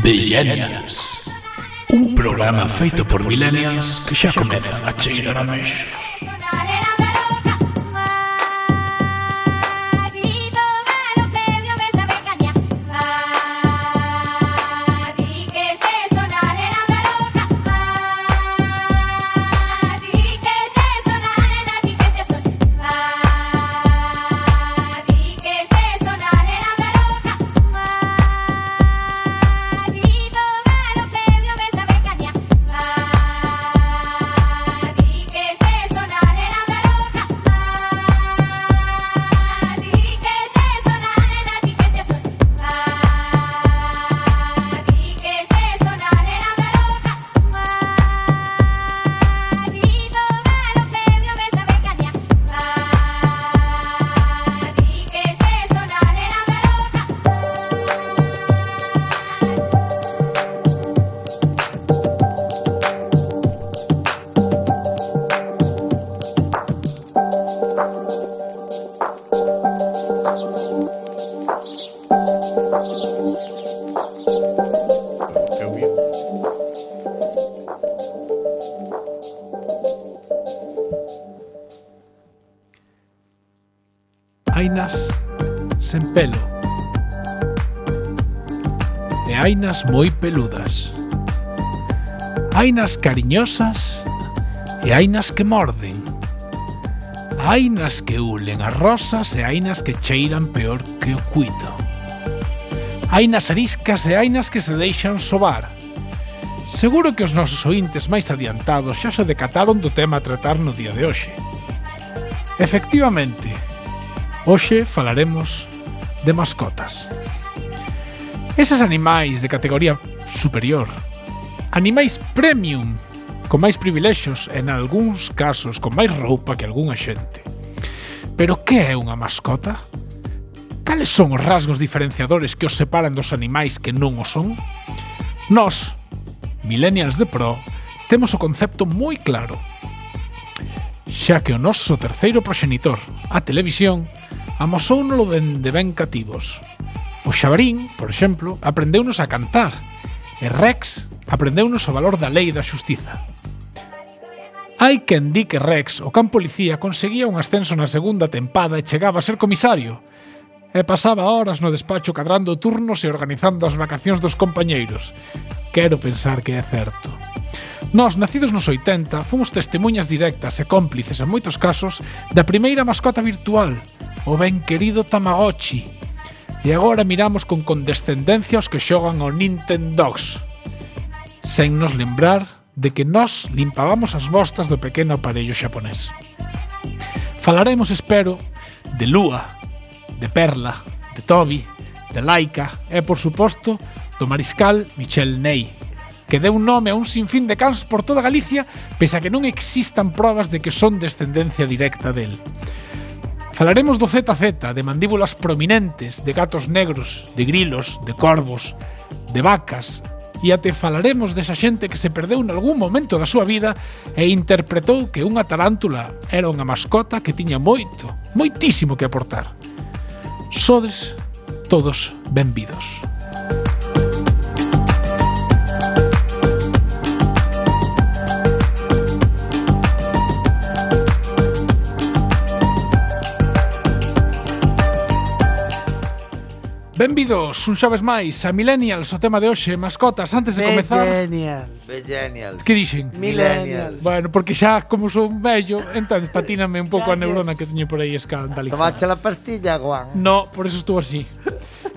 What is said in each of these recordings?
Millennials. Un programa feito por millennials que xa comezan a cheirar a mexos. Hainas sen pelo e hainas moi peludas. Hainas cariñosas e hainas que morden. Hainas que ulen as rosas e hainas que cheiran peor que o cuito. Hainas ariscas e hainas que se deixan sobar. Seguro que os nosos ointes máis adiantados xa se decataron do tema a tratar no día de hoxe. Efectivamente, hoxe falaremos de mascotas. Eses animais de categoría superior, animais premium, con máis privilexos e, en algúns casos, con máis roupa que algunha xente. Pero que é unha mascota? Cales son os rasgos diferenciadores que os separan dos animais que non o son? Nós, millennials de pro, temos o concepto moi claro, xa que o noso terceiro proxenitor, a televisión, amosóunolo dende ben cativos. O Xabarín, por exemplo, aprendeunos a cantar, e Rex aprendeunos o valor da lei e da xustiza. Hai quen di que Rex, o can policía, conseguía un ascenso na segunda tempada e chegaba a ser comisario, e pasaba horas no despacho cadrando turnos e organizando as vacacións dos compañeiros. Quero pensar que é certo. Nós, nacidos nos 80, fomos testemunhas directas e cómplices, en moitos casos, da primeira mascota virtual, o ben querido Tamagotchi. E agora miramos con condescendencia os que xogan ao Nintendogs, sen nos lembrar de que nós limpábamos as bostas do pequeno aparello xaponés. Falaremos, espero, de Lua, de Perla, de Toby, de Laika e, por suposto, do mariscal Michel Ney, que deu nome a un sinfín de cans por toda Galicia, pese a que non existan probas de que son descendencia directa del. Falaremos do ZZ, de mandíbulas prominentes, de gatos negros, de grilos, de corvos, de vacas, e até falaremos desa xente que se perdeu nalgún momento da súa vida e interpretou que unha tarántula era unha mascota que tiña moito, moitísimo que aportar. Sodes todos benvidos. Benvidos, un xoves máis, a Millennials, o tema de hoxe, mascotas. Antes de comezar... Millennials. Que dixen? Millennials. Bueno, porque xa, como son vello, entonces patíname un pouco a neurona que teño por aí escandalizada. Tomache la pastilla, Juan. No, por eso estou así.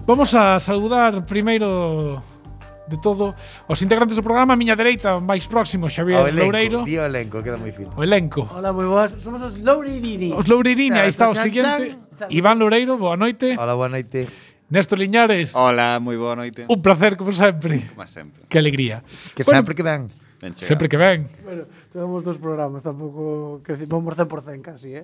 Vamos a saludar primeiro de todo os integrantes do programa. A miña dereita, máis próximo, Xavier Loureiro. Tío elenco, queda moi fino. O elenco. Hola, moi boas. Somos os Loureirini. Os Loureirini, aí está o seguinte. Iván Loureiro, boa noite. Hola, boa noite. Néstor Liñares. Hola, moi boa noite. Un placer, como sempre. Como sempre. Que alegría. Que sempre que ven. Sempre que ven. Bueno, tenemos dos programas, tampouco que vamos 100% casi,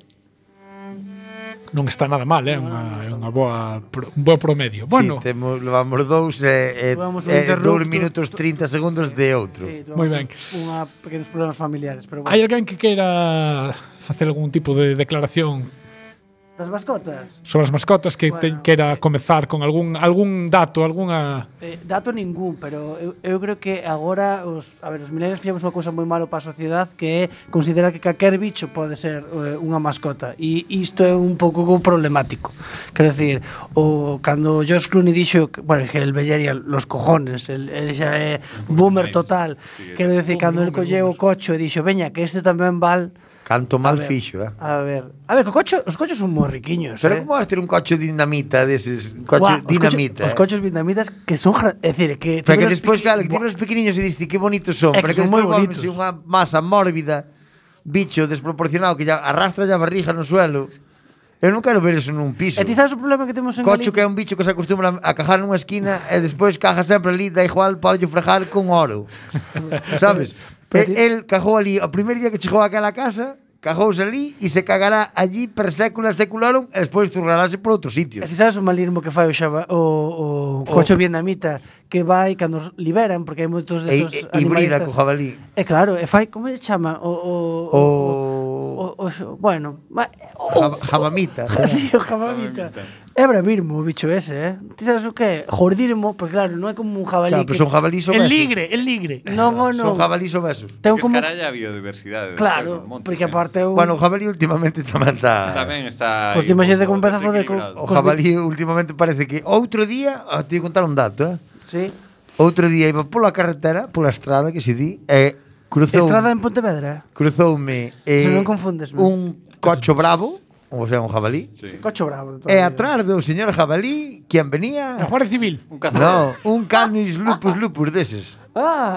Non está nada mal, é un bo promedio. Bueno, sí, levamos dous e 2 minutos 30 segundos de outro. Sí, moi ben. Pequenos problemas familiares, pero bueno. Hai alguén que queira facer algún tipo de declaración Das mascotas? Sobre as mascotas que quera comezar con algún dato, algunha... Dato ningún, pero eu creo que agora os millennials fixemos unha cousa moi malo para a sociedade, que é considerar que calquer bicho pode ser unha mascota, e isto é un pouco problemático. Quero decir, cando George Clooney dixo que, bueno, es que el vellería los cojones, el xa é boomer total. Quero decir, cando el colleu o cocho e dixo, veña, que este tamén val. Canto mal fixo, A ver, os cochos son moi riquiños. Pero como vas ter un coche dinamita deses? Un coche dinamita. Os coches dinamitas que son, é dicir, que pero que despois, claro, que tiven os pequeniños e diste que bonitos son, pero que despois volvense unha masa mórbida, bicho desproporcionado que ya arrastra a barriga no suelo. Eu non quero ver eso nun piso. E ti sabes o problema que temos en Cocho que é un bicho que se acostumbra a cajar nunha esquina e despois caja sempre ali, da igual para yo frejar con oro. Sabes? El cajou ali, o primer día que chegou a aquela casa, cajouse ali e se cagará allí per sécula secularum e despois zurrarase por outros sitios. E ti sabes o malismo que fai o cocho vietnamita, que vai cando liberan, porque hai moitos destos animalistas. Hibrida co jabalí. E claro, e fai, como se chama? Bueno, Jabamita. Sí, o jabamita. É bravirmo o bicho ese, Ti sabes o que é? Jordirmo, porque claro, non é como un jabalí. Claro, pero son jabalís obesos. El ligre. Non. Son jabalís obesos. Ten como escaralla a biodiversidade. Claro, porque aparte Bueno, o jabalí últimamente tamén está... Tamén está... Pois imagínate como empeza a foder O jabalí últimamente parece que... Outro día, te vou contar un dato, Sí. Outro día iba pola carretera, pola estrada, que se di, e cruzou... Estrada en Pontevedra? Cruzoume... Se non confundesme. Un cocho bravo, ou sea, un jabalí. Sí. Cocho bravo. E atrás do señor jabalí, quen venía... A Guardia Civil. Un cazador. No, un canis lupus deses.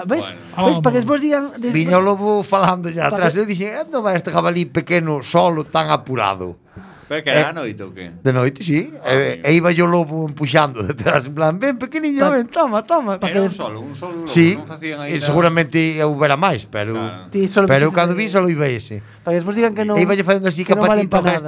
¿Ves? Bueno. ¿Ves? Para que despois digan... Viño o lobo falando ya atrás. Eu dixen, onde vai este jabalí pequeno, solo, tan apurado? Pero que era a noite ou que? De noite, sí. E iba yo lobo empuxando detrás, en plan, ven, pequeniño, ven, toma. Era un solo lobo, sí, non facían aí... E seguramente houbera máis, pero... Claro. Pero cando vi, solo iba ese. Para que despois digan que non... E iba yo facendo así, que non valen capatito, pa nada.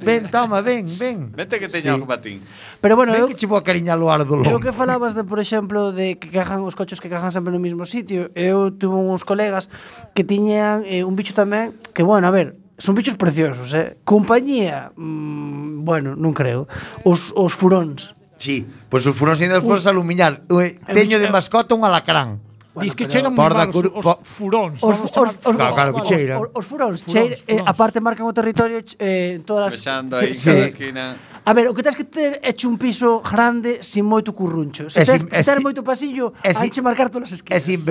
ven, toma, ven. Vente que teña algo patín. Pero bueno, Ven que che vou a cariñar o ar do lobo. Eu que falabas de, por exemplo, de que cajan os cochos que cajan sempre no mesmo sitio. Eu tuve uns colegas que tiñan un bicho tamén que, bueno, a ver, son bichos preciosos, Compañía, bueno, non creo. Os furóns. Sí, pois os furóns ainda despois alumiñar. Teño de mascota un alacrán. Diz que cheiran moi mal os furóns. Claro que cheiran. Os furóns, aparte marcan o territorio en todas as... Vexando aí cada esquina... A ver, o que tens que ter é un piso grande sin moito curruncho. Se tens moito pasillo, hai que marcar todas as esquinas. Sin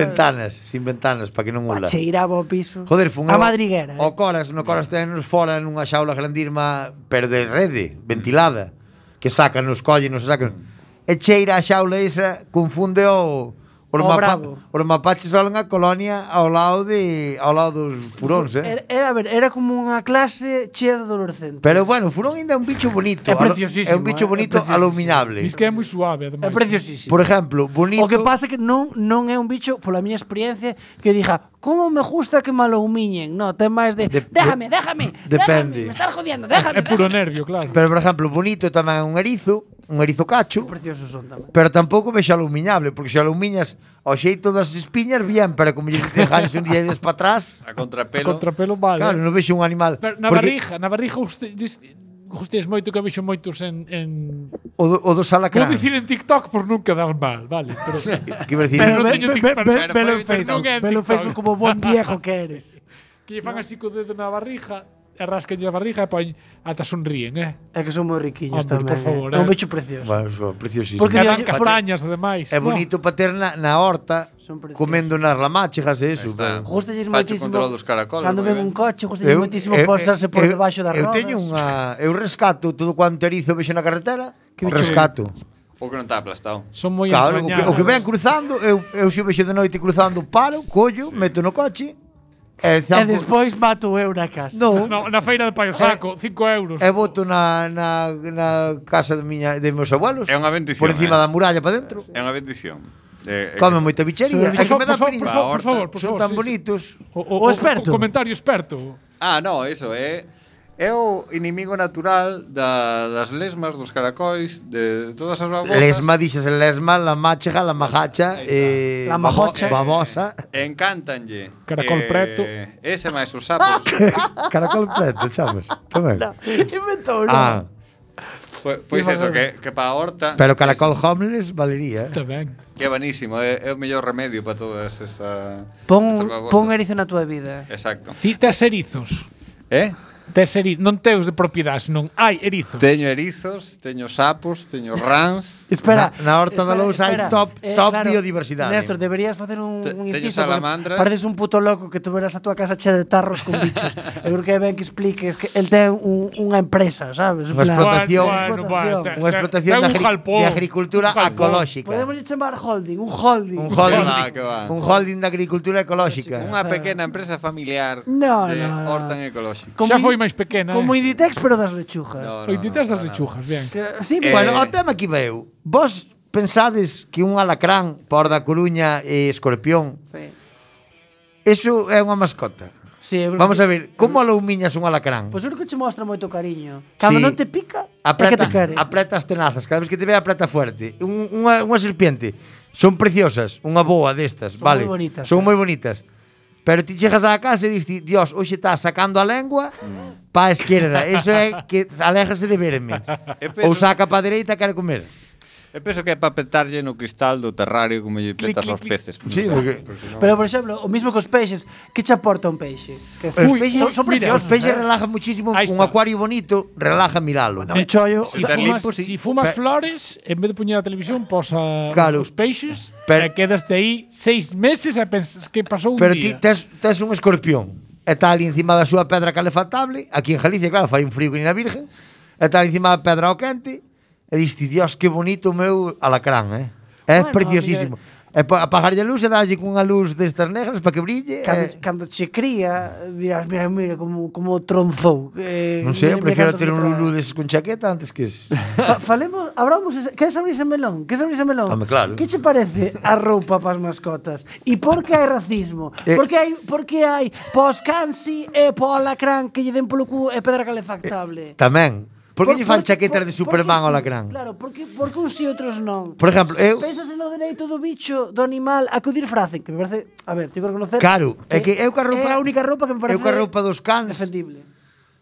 ventanas, para que non ula. Cheiraba o piso. Joder, fun a madriguera. O Coras tenos fora nunha xaula grandirma, pero de rede, ventilada, que sacan, nos collen, nos sacan. E cheira a xaula esa, confunde os mapaches solen a colonia ao lado dos furóns, Era como unha clase chea de adolescentes. Pero bueno, o furón ainda é un bicho bonito. É preciosísimo. É un bicho bonito alumiñable. Diz que é moi suave, ademais. É preciosísimo. Por exemplo, bonito... O que pasa é que non é un bicho, pola miña experiencia, que diga, como me gusta que me alumiñen. No, ten máis de déjame. Depende. Me estás jodiendo, déjame. É puro nervio, claro. Pero, por exemplo, bonito tamén é un erizo cacho. Preciosos son tamén. Pero tampouco vexo alumiñable, porque se alumiñas ao xeito das espiñas, bien, pero como lle dejáis un día e des para atrás... A contrapelo. A contrapelo vale. Claro, non vexo un animal... Pero na barriga Gustes moito que vexo moitos en o do salacrán. Vou dicir en TikTok por non quedar mal, vale, pero que decir, pero non teño TikTok. Velo Facebook como bon viejo que eres. Que lle fan así co dedo na barriga, e rascanlle a barriga e poñen ata sonríen, É que son moi riquiños tamén. Por favor, é un bicho precioso. Bueno, preciosísimo. Porque dan castañas, ademais. É bonito para ter na horta comendo nas ramachejas e eso. Gústalles moitísimo. Control dos caracoles. Cando ven un coche, gústalles moitísimo posarse por debaixo das rodas. Eu rescato todo cuanto erizo vexo na carretera, rescato. O que non está aplastado. Son moi entrañables. O que ven cruzando, eu se vexo de noite cruzando, paro, collo, meto no coche. E despois mato eu na casa. Na feira de Paio Saco, 5 euros. E boto na casa de meus abuelos. É unha bendición. Por encima da muralla para dentro. É unha bendición. Come moita bichería. É que me dá perigo. Por favor. Son tan bonitos. O experto. Comentario experto. No, eso é... É o inimigo natural das lesmas, dos caracóis, de todas as babosas. Lesma, dixes lesma, la máchega, la majacha, La majocha. babosa. Encántanlle. Caracol preto. Ese máis os sapos. Caracol preto, chamas. Tamén. Inventou, Ah, Pois eso, que para a horta. pero caracol homeless valería. Tamén. Que é buenísimo, é o mellor remedio para todas estas Pon babosas. erizo na túa vida. Exacto. Ti tes erizos. Non teus de propiedade, non hai erizos. Teño erizos, teño sapos, teño rans. Espera. Na horta da Lousa hai top biodiversidade. Néstor, deberías facer un Teño inciso. porque salamandras. Pareces un puto loco que tuveras a túa casa chea de tarros con bichos. Eu creo que é ben que expliques que el ten unha empresa, sabes? En Unha plan, explotación. explotación. Unha explotación ten un de jalpón, agricultura un jalpón. ecolóxica. Podemos chamar holding, un holding. Un holding, Que va. un holding de agricultura ecolóxica. Unha pequena empresa familiar No, de no, no. horta ecolóxico. Xa foi máis pequena, Como Inditex, pero das lechugas. No, Oititas das lechugas, bien. Sí, Bueno, o tema aquí veu. Vos pensades que un alacrán por da Coruña e escorpión, sí. eso é unha mascota? Sí, eu creo Vamos que a ver, como aloumiñas un alacrán? Pois eu creo que che mostra moito cariño. Cando Sí. non te pica, é que Apreta, te quere. apreta as tenazas, cada vez que te ve apreta fuerte. Unha serpiente, son preciosas, unha boa destas, Son vale? moi bonitas, Son moi bonitas. Pero ti chegas á casa e diste, Dios, hoxe está sacando a lengua pa esquerda. Eso é que aléjase de verme. Ou saca pa dereita e quere comer. Eu penso que é para petarlle no cristal do terrario como lle petas aos peces. Sí, porque Pero, por exemplo, o mismo cos peixes, que che aporta un peixe? Que os os peixes, peixes son mira, os preciosos. peixes relajan muchísimo. Ahí Un está. acuario bonito relaja miralo. Un chollo. Si Estar fumas, limpo, sí. si fumas Pe- flores, en vez de poñer a televisión, posa Claro. os peixes, Pero- e quedas de aí 6 meses e pensas que pasou un Pero ti día. tes un escorpión e está ali encima da súa pedra calefactable. Aquí en Galicia, claro, fai un frío que ni na Virgen. E está ali encima da pedra ao quente. E diste, Dios, que bonito o meu alacrán, É Bueno, preciosísimo. E apagarlle a luz e darlle cunha luz destas negras para que brille. Cando che cría, mira como tronzou. Non sei, eu prefiero ter un lulú deses con chaqueta antes que ese. Falemos, abramos, que es abrirse melón? Que es abrirse melón? Home, claro. Que che parece a roupa para as mascotas? E por que hai racismo? Por que hai pos cansi e po alacrán que lle den polo cu e pedra calefactable? Tamén. Por que lle fan chaquetas de Superman ao sí? alacrán? Claro, porque uns e outros non. Por exemplo, eu... Pensas no dereito do bicho, do animal, a acudir fracen, que me parece, a ver, tengo que reconocer. Claro, é que eu ca roupa... É a única roupa que me parece Eu ca roupa dos cans... defendible.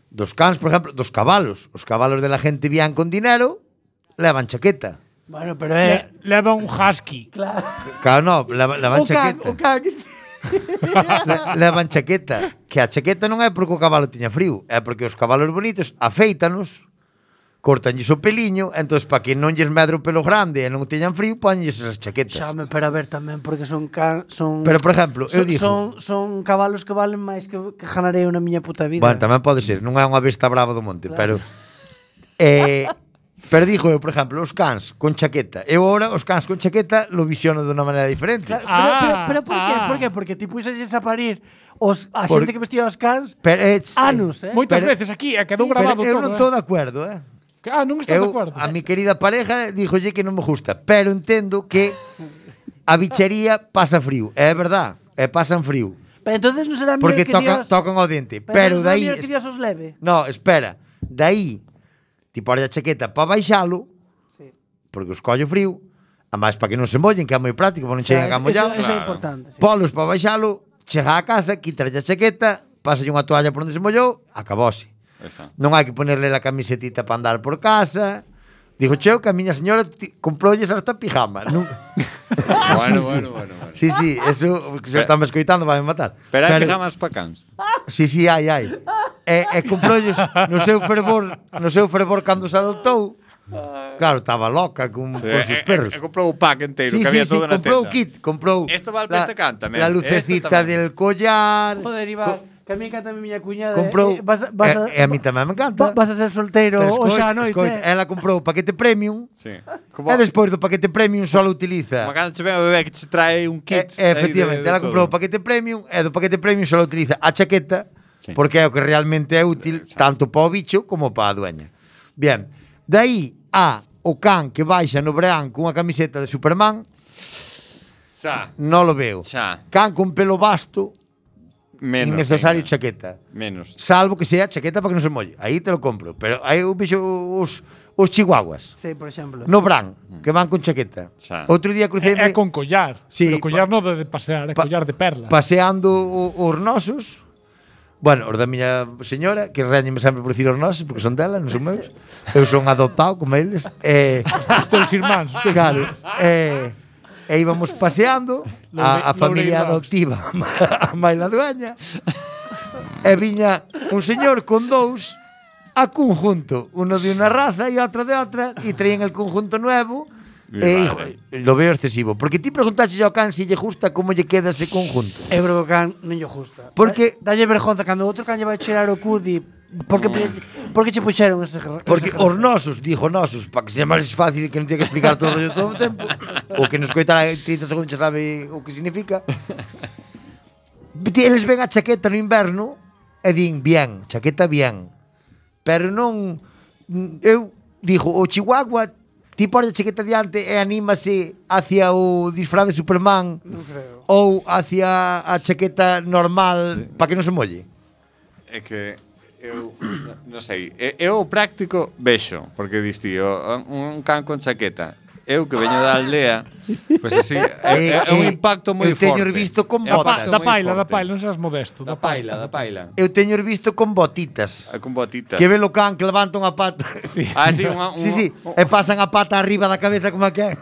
Dos cans, por exemplo, dos cabalos. Os cabalos de la gente bien con dinero levan chaqueta. Bueno, pero é... Leva un husky. Claro. Claro, no, levan chaqueta. O can. Levan chaqueta. Que a chaqueta non é porque o cabalo tiña frío, é porque os cabalos bonitos afeítanos, cortanlles o peliño, entón para que non lles medre o pelo grande e non teñan frío, poñlles esas chaquetas. Xame, pero a ver tamén, porque son Pero, por exemplo, eu digo... Son cabalos que valen máis que ganarei na miña puta vida. Bueno, tamén pode ser, non é unha besta brava do monte, Claro. pero digo eu, por exemplo, os cans con chaqueta. Eu agora os cans con chaqueta lo visiono de unha maneira diferente. Claro, pero por qué? Por qué? Porque ti puxes a parir a Por- xente que vestía os cans Pero, anos, Moitas Pero- veces aquí, e quedou Sí, grabado eu todo. non estou de acuerdo, Non estás de Eu, acordo. a mi querida pareja díjolle que non me gusta, pero entendo que a bichería pasa frío. É verdad, pasan frío. Pero entonces non será Porque mellor que Dios... tocan ao dente. non Pero será daí... mellor que Dios os leve. No, espera. Daí, ti pones a chaqueta para baixalo, Sí. porque os collo frío, a máis para que non se mollen, que é moi práctico, para non cheguen a mollado. Eso é Claro. importante. Sí. Polos para baixalo, chega a casa, quítale a chaqueta, pásalle unha toalla por onde se mollou, acabose. Aí está. Non hai que ponerle la camisetita para andar por casa. Dijo cheo que a miña señora comproulles hasta pijama. Non... Bueno. Sí, eso que se está me escoitando vai me matar. Pero hai pijamas para cans. Sí, hai. E comproulles no seu fervor cando se adoptou. Claro, estaba loca con sus perros. Comprou o pack enteiro, Sí, que había todo na comprou tenda. kit, comprou. Esto vale para este can tamén. La Este lucecita tamén. del collar. Joder, Iván, que a mí encanta a miña cuñada. Comprou. Vas E a mí tamén me encanta. Vas a ser solteiro Pero o xa noite. ela comprou o paquete premium. Sí. E despois do paquete premium só utiliza. Como cando che ven a bebé que che trae un kit. Efectivamente, ela comprou o paquete premium e do paquete premium só utiliza a chaqueta, Sí. porque é o que realmente é útil tanto para o bicho como para a dueña. Bien, dai a o can que baixa no verán cunha camiseta de Superman, Xa. non lo veo. Xa. Can con pelo vasto, Menos innecesario ainda. chaqueta. Menos. Salvo que sea chaqueta para que non se molle. Aí te lo compro. Pero aí eu vexo os chihuahuas Sí, por exemplo. no Bran, que van con chaqueta. Xa. Outro día cruceime É con collar. Sí, Pero collar non de pasear, é collar de perla. paseando os nosos. Bueno, os da miña señora, que reñeme sempre por dicir os nosos, porque son dela, non son meus. Eu son adoptado como eles. Os teus irmáns. Claro. E íbamos paseando a familia adoptiva a Maila Dueña. E viña un señor con dous a conjunto, uno de una raza e outro de outra, e traían el conjunto nuevo. E hijo, lo veo excesivo, porque ti preguntaste ao can se lle gusta como lle queda ese conjunto. Eu creo que o can non lle gusta. Porque- dalle vergonza cando outro can lle vai cheirar o cudi. Porque che puxeron ese Porque ese os nosos, dijo nosos, para que sexa máis fácil e que non teña que explicar todo o tempo, o que nos coitara 30 segundos xa sabe o que significa. Eles ven a chaqueta no inverno e din, bien, chaqueta bien. Pero non... Eu, dijo, o chihuahua ti pones a chaqueta diante e anímase hacia o disfraz de Superman ou hacia a chaqueta normal para que non se molle. É que eu non sei, eu o práctico vexo, porque diste un can con chaqueta. Eu que veño da aldea, pois así, é un impacto moi eu teño forte. visto con É un botas. impacto Da moi paila, forte. non seas modesto. Da paila. Eu teño visto con botitas. Con botitas. Que ve o can que levantan a pata. Ah, sí, Sí, e pasan a pata arriba da cabeza como que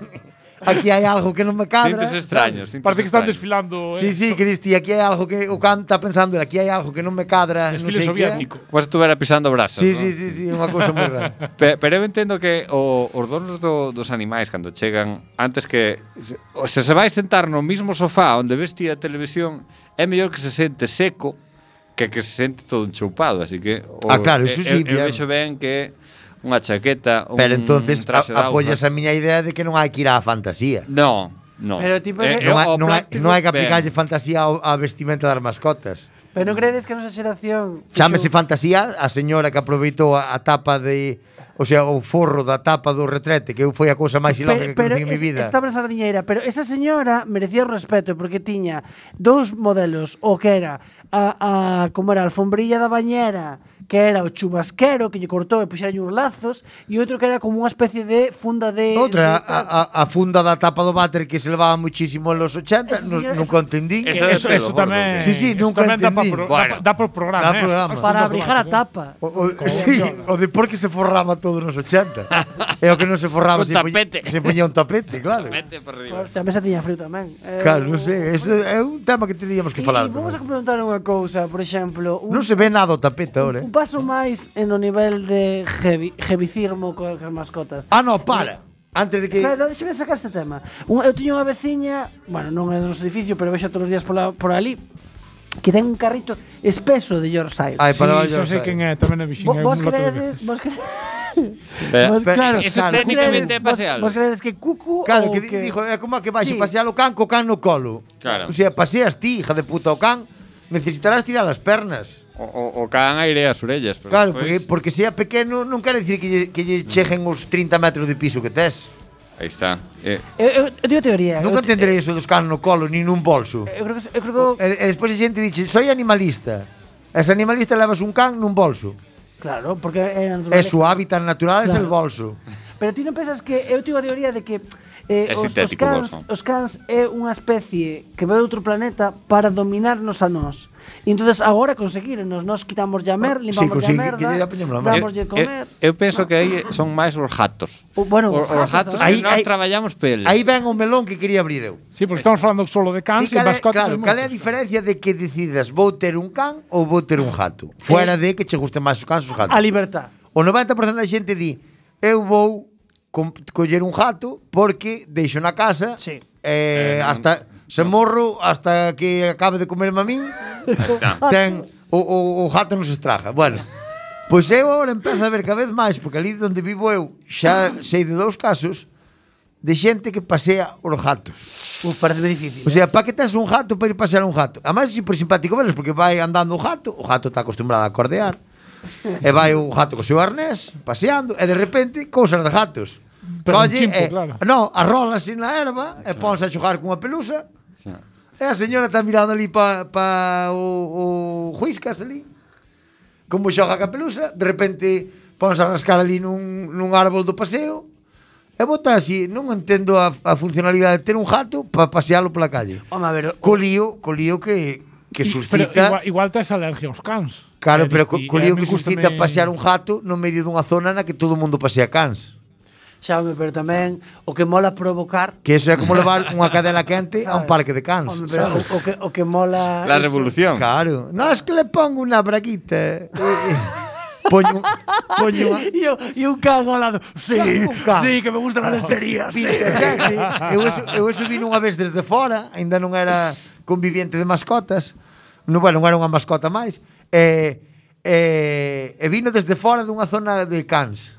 aquí hai algo que non me cadra. Sintes extraños. Parece que están desfilando. Sí, que diste, aquí hai algo que o can está pensando, aquí hai algo que non me cadra, non Desfile sei soviético. Como se estuvera pisando brasas. Sí, ¿no? sí, unha cousa moi rara. Pero eu entendo que os donos dos animais cando chegan, antes que se vai sentar no mismo sofá onde vestía a televisión, é mellor que se sente seco que se sente todo enchoupado, así que claro, iso sí, eu bien. vexo ben que unha chaqueta, Pero entonces traxe de apoyas a augas. miña idea de que non hai que ir á fantasía. No. Pero tipo, Non hai que aplicarlle fantasía á vestimenta das mascotas. Pero non credes que a nosa xeración Chámese fantasía a señora que aproveitou a tapa de, o sea, o forro da tapa do retrete, que foi a cousa máis ilógica que conocí en mi vida. Estaba na sardiñeira, pero esa señora merecía o respeto porque tiña dous modelos, o que era como era a alfombrilla da bañera, que era o chubasquero que lle cortou e puxeralle uns lazos, e outro que era como unha especie de funda de Outra, a funda da tapa do váter que se levaba muchísimo en los 80, nunca entendí. Eso tamén. Sí, nunca entendí. Dá por programa. Dá programa. para abrigar a tapa. Sí, o de por que se forraba todo nos 80. É o que non se forraba, Un tapete. Se poñía un tapete, claro. Vete por arriba. Se a mesa tiña frío tamén. Claro, non sei, eso é un tema que teríamos que falar. E vamos a preguntar unha cousa, por exemplo, Non se ve nada o tapete ahora, un paso máis en o nivel de jevicirmo coas mascotas. Ah, no, para. Antes de que... Claro, deixame sacar este tema. Eu tiño unha veciña, bueno, non é do noso edificio, pero vexo todos os días por ali, que ten un carrito espeso de Yorkshire. Ai, para Sí, xa sei quen é, tamén é vixín. Vos credes, Pero, claro, eso técnicamente é pasealo. Vos credes que Cucu Claro, ou que dijo, é como que vais Sí. pasear o can co can no colo. Claro. O sea, paseas ti, hija de puta, o can necesitarás tirar as pernas. O can airea as orellas. Pero Claro, despois- porque sea pequeno non quere dicir que lle cheguen os 30 metros de piso que tes. Aí está. Eu teño teoría. Nunca entenderei eso dos can no colo, ni nun bolso. Eu creo que E despois a xente dixe, soy animalista. Es animalista levas un can nun bolso. claro, porque é É su hábitat natural, es Claro. el bolso. Pero ti non pensas que eu teño a teoría de que os sintético, cans, bolso. os cans é unha especie que ve de outro planeta para dominarnos a nós. E entonces agora conseguirenos, nós quitamos llamer, limpamos consigue, a merda, que lle apañamos a merda. damoslle comer. Eu penso que aí son máis os gatos. Bueno, Os gatos Aí- que nós aí- traballamos peles. Aí ven o melón que quería abrir eu. Sí, porque estamos falando solo de cans e mascotas. Claro, cal é a diferencia de que decidas vou ter un can ou vou ter un gato? Fuera de que che gusten máis os cans ou os gatos. A libertad. O 90% da xente di eu vou coller un gato porque deixo na casa Sí. hasta se morro hasta que acabe de comerme a min Aí está. ten o gato non se estraga. Bueno, pois eu agora empezo a ver cada vez máis porque ali onde vivo eu xa sei de 2 casos de xente que pasea os gatos. Parece difícil. O sea, para que tes un gato para ir pasear un gato? Además é super simpático velos porque vai andando o gato está acostumbrado a cordear. E vai o gato co seu arnés paseando e de repente cousas de gatos. Pero un Colle chimpo, e claro. no, arrola así na erva e ponse a xogar cunha pelusa. Sí. E a señora está mirando ali pa o Huiscas ali. Como xoga a capelusa, de repente ponse a rascar ali nun árbol do paseo. E bota así, non entendo a funcionalidade de ter un jato para pasealo pola calle. Home, a ver, Co lío que suscita. Pero igual tes alergia aos cans. Claro, pero co lío que me suscita gústame- pasear un jato no medio dunha zona na que todo o mundo pasea cans. Xaume, pero tamén o que mola provocar. Que eso é como levar unha cadela quente a un ¿Sabes? parque de cans. Home, pero ¿sabes? o que mola. La eso- revolución. Claro. No, es que le pongo una braguita. Poño E un can ao lado. Sí, Un can. sí, que me gustan las lencerías. Sí. eu eso vino unha vez desde fora, aínda non era conviviente de mascotas. Non, bueno, non era unha mascota máis. E vino desde fora dunha zona de cans.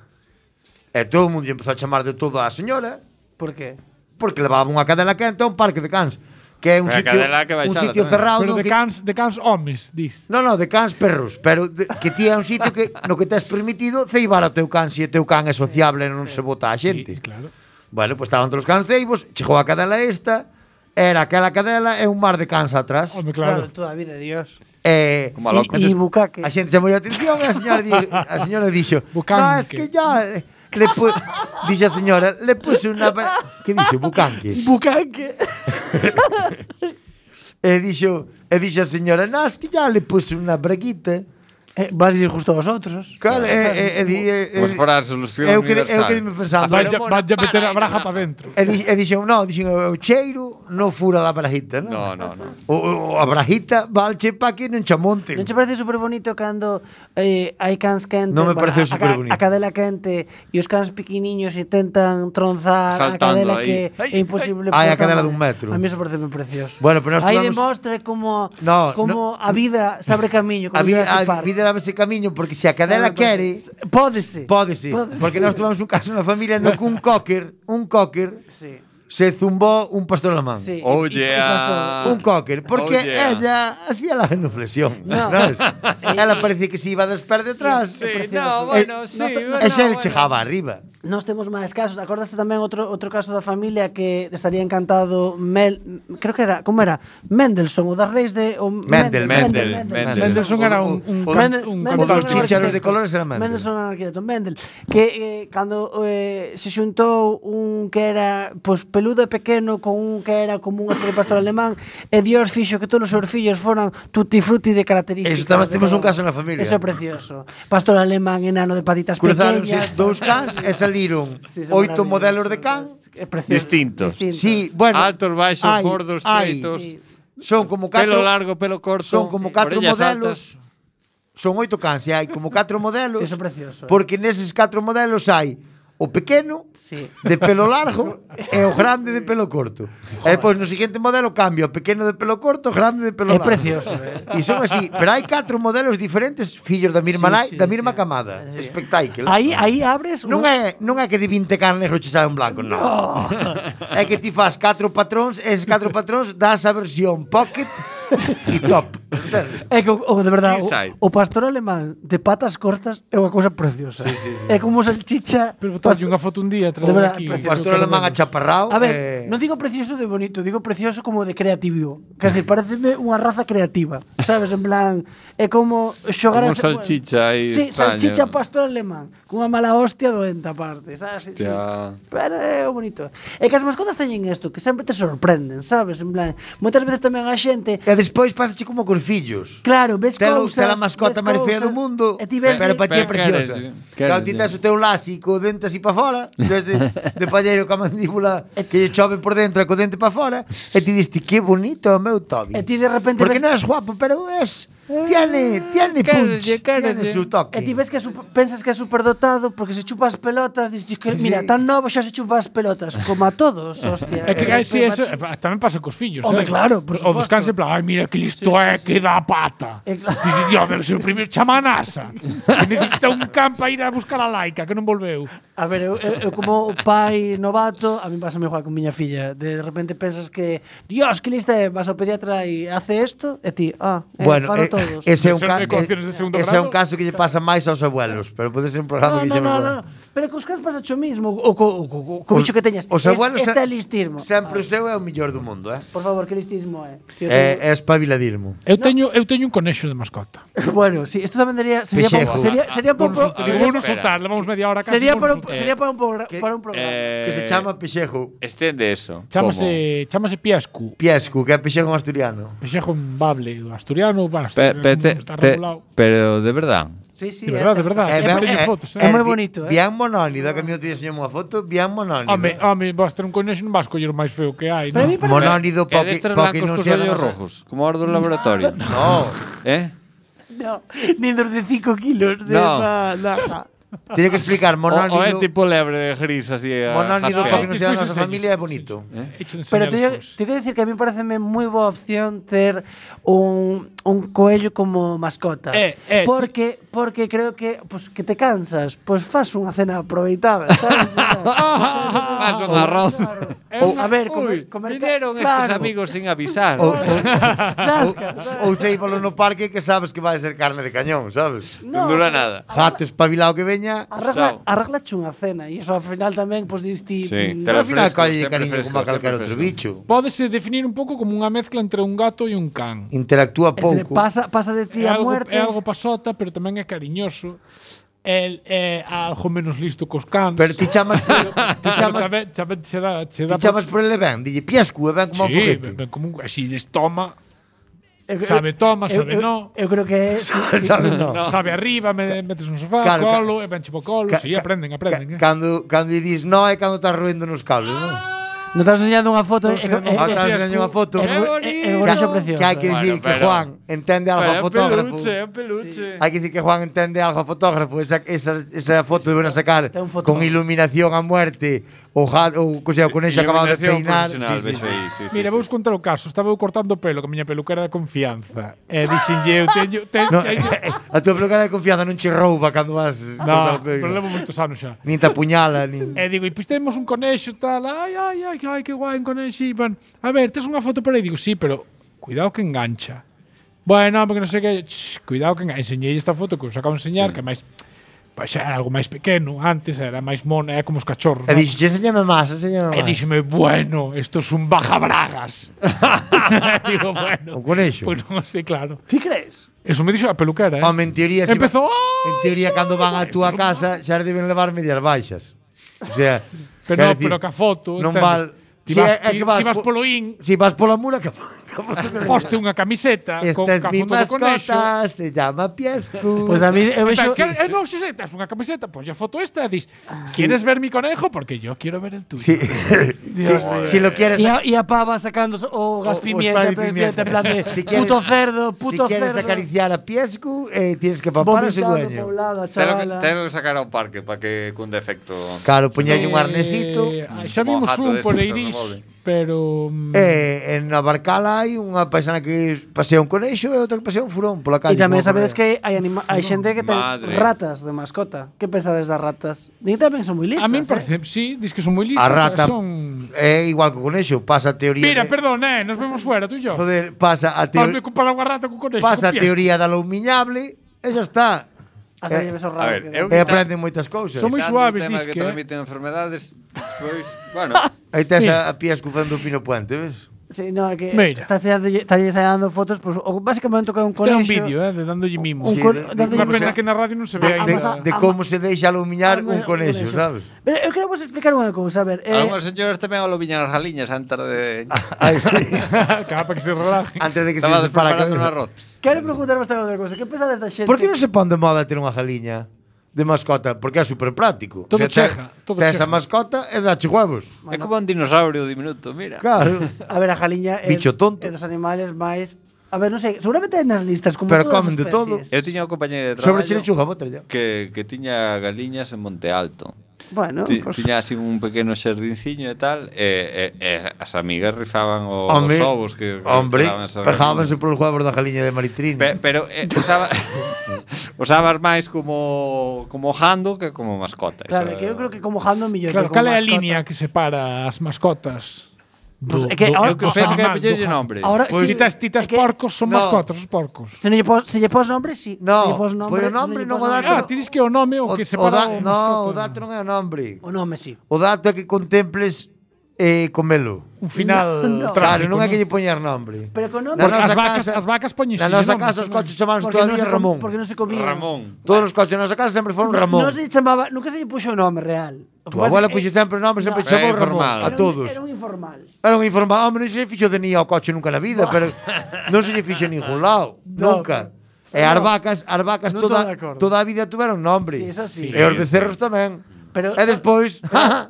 E todo o mundo lle empezou a chamar de todo á señora Por qué? porque levaba unha cadela quente a un parque de cans, que é un Pero a sitio, cadela que un baixala sitio tamén. cerrado Pero no de cans homes, dis. No, de cans perros, pero que ti é un sitio que no que tes permitido ceibar ao teu can, se o teu can é sociable e non se bota a xente. Sí, claro. Bueno, pues estaban todos os cans ceibos, chegou a cadela esta, era aquela cadela e un mar de cans atrás. Home, Claro, claro. toda a vida, Dios. Como a loco. E bucaque. A xente chamou a atención e a señora dixo, Bucanque. no, es que ya dixe a señora, le puse unha que dixo, bucanque. Bucaque. E dixo a señora, no, es que ya le puse unha braguita. Vas ir justo aos outros. Claro, Como se fora a solución eu que universal. me pensando. Vaya meter a braja para dentro. Dixen, o cheiro non fura a brajita, non? No. A brajita valche pa que non chamonten. Non che parece super bonito cando hai cans quentes? Non me pareceu superbonito. A cadela quente e os cans pequeniños intentan tronzar Saltando a cadela aí. que é imposible. Ai, a por cadela tamaño. dun metro. A mí eso parece moi precioso. Bueno, pero nós aí tomamos- demostra como No, a vida se abre camiño. A como vida, Jurassic a Park. vida daba ese camiño porque se a cadela quere, Pódese. pódese. Porque nós tuvamos un caso na familia no que un cocker Sí. se zumbó un pastor alemán. Sí. Oh, e yeah. pasou. Un cocker, porque Oh, yeah. ella hacía la genuflexión. No. ¿sabes? Ela parecía que se iba a desper detrás. Sí, precioso. no, bueno, sí. E xa ele chegaba arriba. Nós temos máis casos. Acordaste tamén outro caso da familia que estaría encantado creo que era, como era? Mendelssohn, o das reis de Mendel. Mendelssohn era un O cantante. dos chícharos de colores era Mendel. Mendelssohn era arquitecto. Mendel, que cando se xuntou un que era pois peludo e pequeno con un que era como un especie de pastor alemán, e Dios fixo que todos os seus fillos foran tutti frutti de características. Eso tamén temos un caso na familia. Eso é precioso. Pastor alemán enano de patitas Cruzáronse pequeñas. dous cans e saliron Sí, son 8 maravillosos. modelos de can. É precioso. Distintos. Sí, bueno. Altos, baixos, hai- gordos, hai- estreitos. Sí. Son como 4 Pelo largo, pelo corto. Son como 4 orellas modelos. altas. Son 8 cans e hai como 4 modelos. Sí, eso é precioso. Porque neses 4 modelos hai o pequeno Sí. de pelo largo e o grande de pelo corto. E depois no seguinte modelo cambia o pequeno de pelo corto, o grande de pelo É largo. precioso, E son así, pero hai 4 modelos diferentes, fillos da mesma Sí, nai, sí, da mesma sí. camada. Sí. Espectáculo. Aí abres Non é que de 20 carnes negro che sabe un blanco, non. É que ti fas 4 patróns, e eses 4 patróns das a versión pocket e top. Entendes? É que de verdade, King size. o pastor alemán de patas cortas é unha cousa preciosa. É como salchicha. Pero botalle unha foto un día, De verdad, aquí. O pastor alemán achaparrao. A ver, non digo precioso de bonito, digo precioso como de creativo. Quer dizer, pareceme unha raza creativa, sabes? En plan, é como xogar Como salchicha aí Sí, extraña. salchicha pastor alemán, cunha mala hostia doente aparte, sabes? Sí, sí. Ya. Pero é o bonito. É que as mascotas teñen isto, que sempre te sorprenden, sabes? En plan, moitas veces tamén a xente E despois pasache como cos fillos. Claro, ves cousas. Tela mascota ves máis fea cousas, do mundo, e ti ves pero para ti é Pero preciosa. queres, Claro, ti tes o teu lasi co dente así para fora, de palleiro ca mandíbula que lle chove por dentro e co dente para fora, e ti diste que bonito o meu Toby. E ti de repente Porque ves- non és guapo, pero tiene punch, tiene su toque. E ti ves que pensas que é superdotado porque se chupa as pelotas, dices que mira, Sí. tan novo xa se chupa as pelotas, como a todos, hostia. É que sí, eso tamén pasa cos fillos, Hombre, claro, por O dos suposto. cans en plan, ai, mira que listo é, que dá a pata. Dice, Dios, debe ser o primeiro chamanasa. Que necesita un can para ir a buscar a laica, que non volveu. A ver, eu como pai novato, a mí pasa igual con miña filla. De repente pensas que, Dios, que lista é, vas ao pediatra e hace isto, e ti, Bueno, falo todo. todos. Ese é un, Son ecuaciones de segundo ese é un grado. caso que lle pasa máis aos abuelos, pero pode ser un programa que No. Pero cos cans pasa o mismo, o co bicho que teñas. Os abuelos Este é listismo. sempre o seu é o mellor do mundo, Por favor, que listismo é? Si É espabiladismo. Eu teño un conexo de mascota. Bueno, sí, esto tamén sería Pexejo. sería un pouco A ver, Seguro espera. soltar, levamos media hora casi. sería por para un programa. Que se chama pexejo. Estende eso. Chamase Piescu. Piescu, que é pexejo en asturiano. Pexejo en bable, asturiano, está Pe, regulado. pero de verdad. Sí, sí. De verdad, de verdad. Teño fotos, É moi bonito, Bien monónido, que a mí te enseñou unha foto, bien monónido. Home, vas ter un conexo, non vas coller o máis feo que hai, Pero a mí non? parece Monónido É destes blancos non cos sea ollos rojos, como os do laboratorio. No, no, nin dos de 5 kilos de No. teño que explicar O é monónido. tipo lebre gris así. Monónido jaspeado. para que non sea da Despois nosa enseño. familia é bonito. Hecho de Pero enseñar tengo que decir que a mí pareceme moi boa opción ter un coello como mascota. Porque creo que que te cansas, fas unha cena aproveitada, sabes? Fas un arroz. A ver, comer Vinieron estes amigos sin avisar. Ou ceíbalo no parque que sabes que vai ser carne de cañón, sabes? Non dura nada. Gato espabilado que veña, Arreglache unha cena e iso ao final tamén diste Sí, al final fresco, colle sempre cariño fresco, como a calquer sempre outro fresco. bicho. Pódese definir un pouco como unha mezcla entre un gato e un can. Interactúa pouco. Pasa de ti a muerte. É algo pasota, pero tamén é cariñoso. El é algo menos listo cos cans. Pero ti chamas tamén che dá por ele ben, dille piescu, e ben como un sí, foguete. ben como un así toma. Sabe toma, sabe no. Eu creo que Sabe, no. Sabe arriba, metes un sofá, Claro, colo, e ben tipo colo, si, aprenden. Cando lle dis no é cando estás roendo nos cables, non? Non estás enseñando unha foto. Estás enseñando unha foto. Que hai que dicir que Juan entende algo a fotógrafo. É un peluche. Hai que dicir que Juan entende algo a fotógrafo. Esa foto deben sacar con iluminación a muerte. O conexo acabado de peinar. Mira, vou contar o caso. Estaba eu cortando o pelo con a miña peluquera de confianza. E dixenlle, eu teño... A tua peluquera de confianza non che rouba cando vas cortar No, o pelo. pero levo moitos anos xa. Nin te apuñala, nin... E digo, e pois temos un conexo tal, ai, que guai un conexo. Bueno, a ver, tes unha foto por aí? Digo, sí, pero cuidado que engancha. Bueno, porque non sei que, cuidado que engancha. Enseñei esta foto que os acabo de enseñar, que máis pois era algo máis pequeno, antes era máis mono, é como os cachorros. E dixo, enséñame máis. E díxeme, bueno, esto es un bajabragas. Digo, bueno. Un conexo. Pois non sei, claro. Ti crees? Eso me dixo a peluquera, Home, en teoría, Empezou, en teoría cando van á túa casa xa deben levar medias baixas. O sea, pero que a foto, non entendes? val... Ti vas polo in, Si vas pola mura, poste unha camiseta con esta es mi foto do conexo. mascota, se llama Piescu. Pois a mí eu vexo No, si tes unha camiseta, pues a foto esta e dis, ¿quieres ver mi conejo? Porque yo quiero ver el tuyo. Sí. Si lo quieres... E a pava sacando o gas pimienta, en plan de puto cerdo, puto cerdo. Si quieres acariciar a Piescu, tienes que papar a ese dueño. Tengo que sacar ao parque para que cun defecto. Claro, poñalle un arnesito. Xa vimos un por Eiris, pero en Navarcala hai unha paisana que pasea un conexo e outra que pasea un furón pola calle. E tamén sabedes que hai xente que ten Madre. ratas de mascota. Que pensades das ratas? Din tamén son moi listas. a mí me parece, sí, dis que son moi listas. A rata son... é igual que o conexo, pasa a teoría. Mira, perdón, nos vemos fuera, tú e yo. Joder, pasa a Ponme teoría. comparar unha rata con conexo. Pasa a con pies. teoría da loumiñable e xa está. Hasta lleves o A ver, rabo. E aprenden moitas cousas. Son moi Quitando suaves, o tema dis que que, transmiten enfermedades, pois, bueno, Aí tes a Piescu facendo o Pino Puente, ves? Sí, no, que Mira. está enseñando fotos, pues básicamente que é un Este é un conexo. vídeo, de dándolle mimos. Un Sí, Unha pena que na radio non se ve ainda. De como se deixa alumiñar un conexo, sabes? Pero eu quero vos explicar unha cousa, a ver, algúns señores tamén ao lobiñan as galiñas antes de Aí sí. Para que se relaje. Antes de que se Estaba separa preparando un arroz. quero preguntaros outra cousa, que pensades da xente? Por que non se pon de moda ter unha galiña de mascota? Porque é super práctico. Todo tes- cheja, todo tes a cheja. mascota e dache huevos. É como un dinosaurio diminuto, mira. Claro. A ver, a jaliña Bicho tonto. é dos animales máis. A ver, non sei, seguramente hai nas listas como Pero todas comen as de todo. especies. Eu tiña un compañeiro de Sobre traballo chile chuga, bótalla. que tiña galiñas en Monte Alto. Bueno, pues, Tiña así un pequeno xardinciño e tal, e as amigas rifaban os Hombre, ovos que Hombre, quedaban esas pejábanse galiñas. polos huevos da galiña de Maritrini. Pero usabas máis como jando que como mascota. claro, Eso que eu creo que como jando mellor. Claro, pero como cal é a mascota. línea que separa as mascotas Pues é que ahora- Eu que penso que é poñerlle nombre. Ahora Pois sí, titas é que- porcos son No. mascotas, os porcos. Se lle pos nombre, sí. No, se lle pos pois o nombre non o dá- Ah, ti dis que é o nome o que separa o No, o mascota. dato non é o nombre. O nome, sí. O dato é que contemples comelo. Un final No. Claro, trágico. non é que lle poñer nombre. Pero con nome... Na Porque nosa as vacas poñen Na nosa casa os coches chamaban todavía Ramón. Porque non se comía. Ramón. Todos os coches na nosa casa sempre foron Ramón. Non se lle chamaba, nunca se lle puxo o nome real. O que Tu pasa abuela é- puxe sempre o nome, sempre No. chamou Era Ramón. informal. A todos. Era un informal. Era un informal. Hombre, non se fixo de nin ao coche nunca na vida, pero non se lle fixo en ningún lado. No, Nunca. E as vacas Non estou de acordo. toda a vida tuveron nombre. Sí, eso sí. E os becerros tamén. Pero, E despois,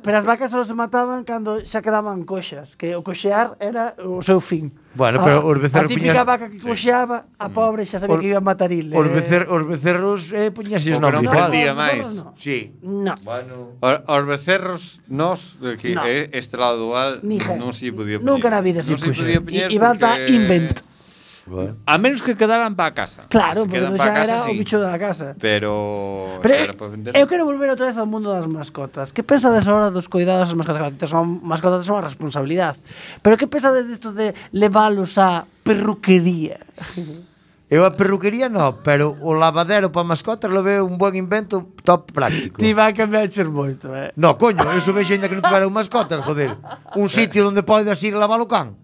pero as vacas só se mataban cando xa quedaban coxas, que o coxear era o seu fin. Bueno, pero os becerros A típica puñas- vaca que coxeaba, a pobre xa sabía Os- que iba a matar il. os becerros puñase O que nombre non igual. prendía no, máis. no, no. Sí. No. Bueno, Os becerros, nós, que No. é este lado dual, Nija. non se lle podía poñer. Nunca na vida se Non puxo. podía poñer Iban a porque- invent. A menos que quedaran para casa. Claro, Se porque quedan xa pa era casa, o bicho da casa. Pero, Pero se era para vender. eu quero volver outra vez ao mundo das mascotas. Que pensades ahora dos cuidados das mascotas? Son mascotas son a responsabilidade. Pero que pensades disto de leválos á perruquería? eu a perruquería no, pero o lavadero para mascotas lo veo un buen invento top práctico. Ti vai cambiar moito, No, coño, eso vexo ainda que non tuveran mascotas, joder. Un sitio onde podes ir lavar o can.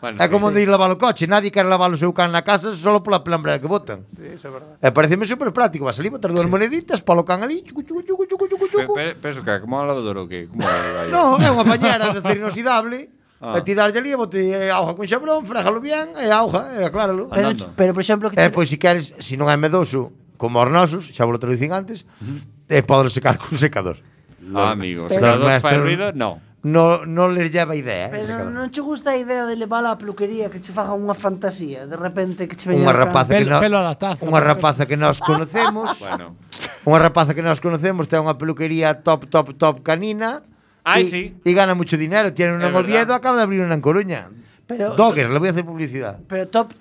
Bueno, É como onde ir lavar o coche. Nadie quer lavar o seu can na casa solo pola pelambrera que botan. Sí, iso é verdade. E pareceme super práctico. Vas ali, botar dúas moneditas, polo can ali, chucu, chucu, chucu, chucu, chucu, chucu. Penso que como un lavador o que? Como vai? No, é unha pañera de acero inoxidable. Ah. E ti darlle ali, bote auga con xabrón, frégalo bien, e auga, e acláralo. Andando. Pero por exemplo, que Pois se queres, se non é medoso, como os nosos, xa vos lo traducín antes, podelo secar cun secador. Amigo, Pero- se cada dos Los fai maestros- ruido, no. Non les lleva idea, Pero secador. non che gusta a idea de levar a peluquería que che faga unha fantasía, de repente que che veña Unha o can. rapaza que Pelo a la taza. unha rapaza que nós conocemos, Bueno. unha rapaza que nós conocemos ten unha peluquería top canina. Ai, y, sí. Y gana mucho dinero, tiene una É en Oviedo, verdad. acaba de abrir una en Coruña. Pero- Dogger, le voy a hacer publicidad. Pero top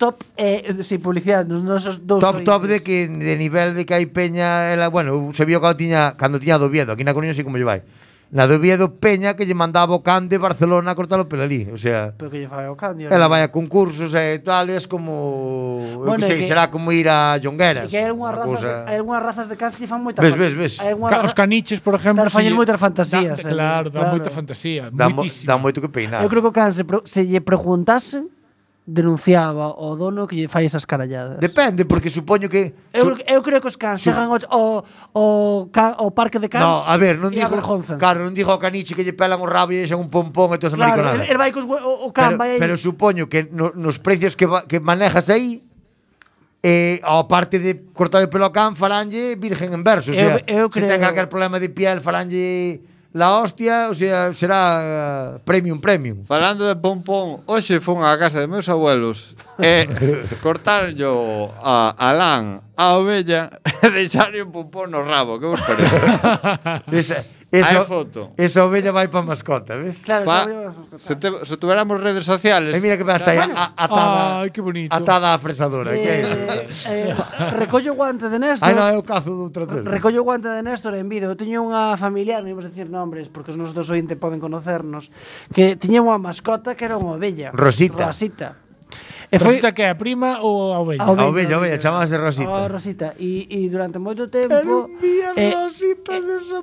sin publicidade, nos nosos dous Top de ointes. que de nivel de que hai peña, bueno, se vio cando tiña do Oviedo, aquí na Coruña sei como lle vai. Na do Oviedo peña que lle mandaba o can de Barcelona a cortalo pelo ali, o sea, Pero que lle fai o cambio. ela vai a concursos e tal, e es como, Bueno, eu que sei, é que- será como ir a Jongueras. Que hai algunhas unha razas, cousa- hai algunhas razas de cans que fan moita Ves, fan- ves, ves. hai algunhas Os caniches, por exemplo, Claro, fallen lle- moitas fantasías, Claro, dá claro. moita fantasía, Dá moitísimo. moito que peinar. Eu creo que o can se lle preguntasen denunciaba ao dono que lle fai esas caralladas. Depende, porque supoño que Eu creo que os cans chegan ao parque de cans. No, a ver, non e digo, avergonzan. claro, non digo ao caniche que lle pelan o rabo e deixan un pompón e todas as Claro, mariconadas. el vai cos o can vai aí. Pero supoño que nos precios que manejas aí, ao parte de cortar o pelo ao can, faranlle virgen en verso. O sea, Eu se ten creo- calquer problema de piel, faranlle la hostia, o sea, será premium. Falando de pompón, hoxe fun á casa de meus abuelos e cortaron yo a lán, a ovella e deixaron un pompón no rabo, que vos parece? Hai foto. Esa ovella vai pa mascota, ves? Claro, Pa, xa se tuveramos redes sociales, E mira que está aí atada, Ai, que bonito. atada á fresadora. que é? recollo o guante de Néstor. Ai, non, eu cazo do outro telo. Recollo o guante de Néstor en vídeo. Eu tiña unha familiar, non imos decir nombres, porque os nosos dos ointes poden conocernos, que tiña unha mascota que era unha ovella. Rosita. E foi Rosita que é a prima ou a ovella? A A ovella, chamábase Rosita. a Rosita. E durante moito tempo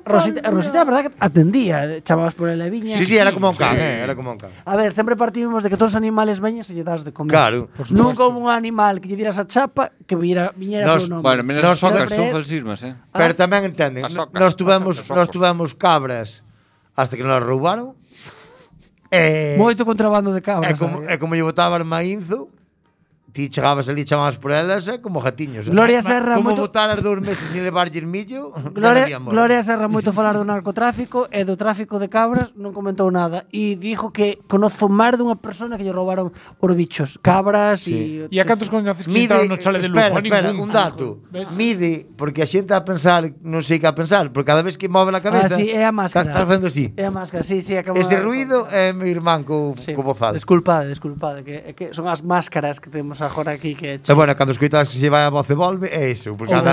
Rosita Rosita, a verdade que atendía, chamabas por ela e viña. Sí, era como un can, era como un can. A ver, sempre partimos de que todos os animales veñas e lle das de comer. Claro, por suposto. Nunca houve un animal que lle diras a chapa que viñera Nos- polo nome. bueno, menos Nos as socas, sempre son es- falsismas, Pero tamén entenden, As socas, nós as socas. tuvemos cabras hasta que nos roubaron. Moito contrabando de cabras. Como lle botaban maínzo, ti chegabas ali, chamabas por elas, como gatiños. Gloria Serra como moito- botaras 2 meses sin levarlle millo, non había amor. Gloria Serra moito falar do narcotráfico e do tráfico de cabras non comentou nada e dijo que conozo máis dunha persona que lle roubaron os bichos, cabras e E a cantos coñeces que Mide, entraron no chale de Lugo? espera, A espera, ningún. un dato. ¿Ves? Mide, porque a xente a pensar, non sei que a pensar, porque cada vez que move a cabeza, sí, é a máscara. Estás facendo así. É a máscara, sí, acabo Ese de- ruido é meu irmán co bozal. Desculpade, que son as máscaras que temos agora aquí que E bueno, cando escoitas que se vai a voz e volve, é iso, porque anda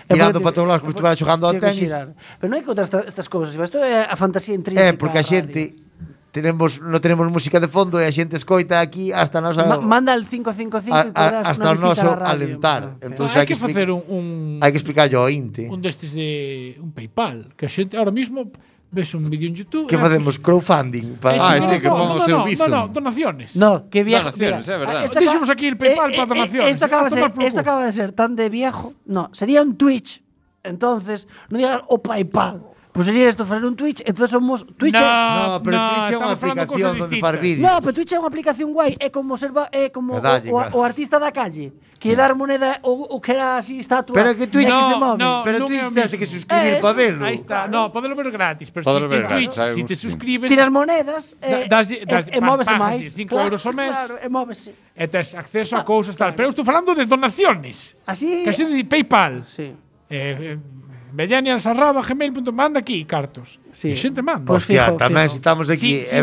mirando para todos lados como se estuvera xogando ao tenis. Pero non hai que contar estas cousas, isto é a fantasía intrínseca. Porque a da radio. xente non tenemos música de fondo e a xente escoita aquí hasta a nosa Manda el 555 e podrás hasta o una visita noso á radio. alentar. Entonces Hai que facer hai que explicarlle ao Inte. un destes de un PayPal, que a xente ahora mismo ves un vídeo en YouTube. Que facemos crowdfunding sí, que ponga o seu Bizum. No, donaciones. No, que viejo. Donaciones, é verdad. Deixemos aquí el PayPal para donaciones. Esto acaba de ser tan de viejo. No, sería un Twitch. Entonces, no digas o PayPal. Pues sería esto, fazer un Twitch, entonces somos Twitch. No, pero Twitch é unha aplicación onde far vídeos. No, pero Twitch é unha aplicación guai, é como o artista da calle, que dar moneda o que era así estatua. Pero que Twitch pero Twitch tens que suscribir para velo. Aí está. No, podelo ver gratis, pero Podelo si ver Twitch, gratis, si te suscribes, tiras monedas e móvese máis. 5 euros ao mes. Claro, e móvese. E tes acceso a cousas tal. Pero eu estou falando de donaciones. Así. Que xe de PayPal. Sí. Millennials@gmail.com, manda aquí cartos. Sí. E xente manda. Pues Hostia, fijo, tamén fijo. se estamos aquí Sí, e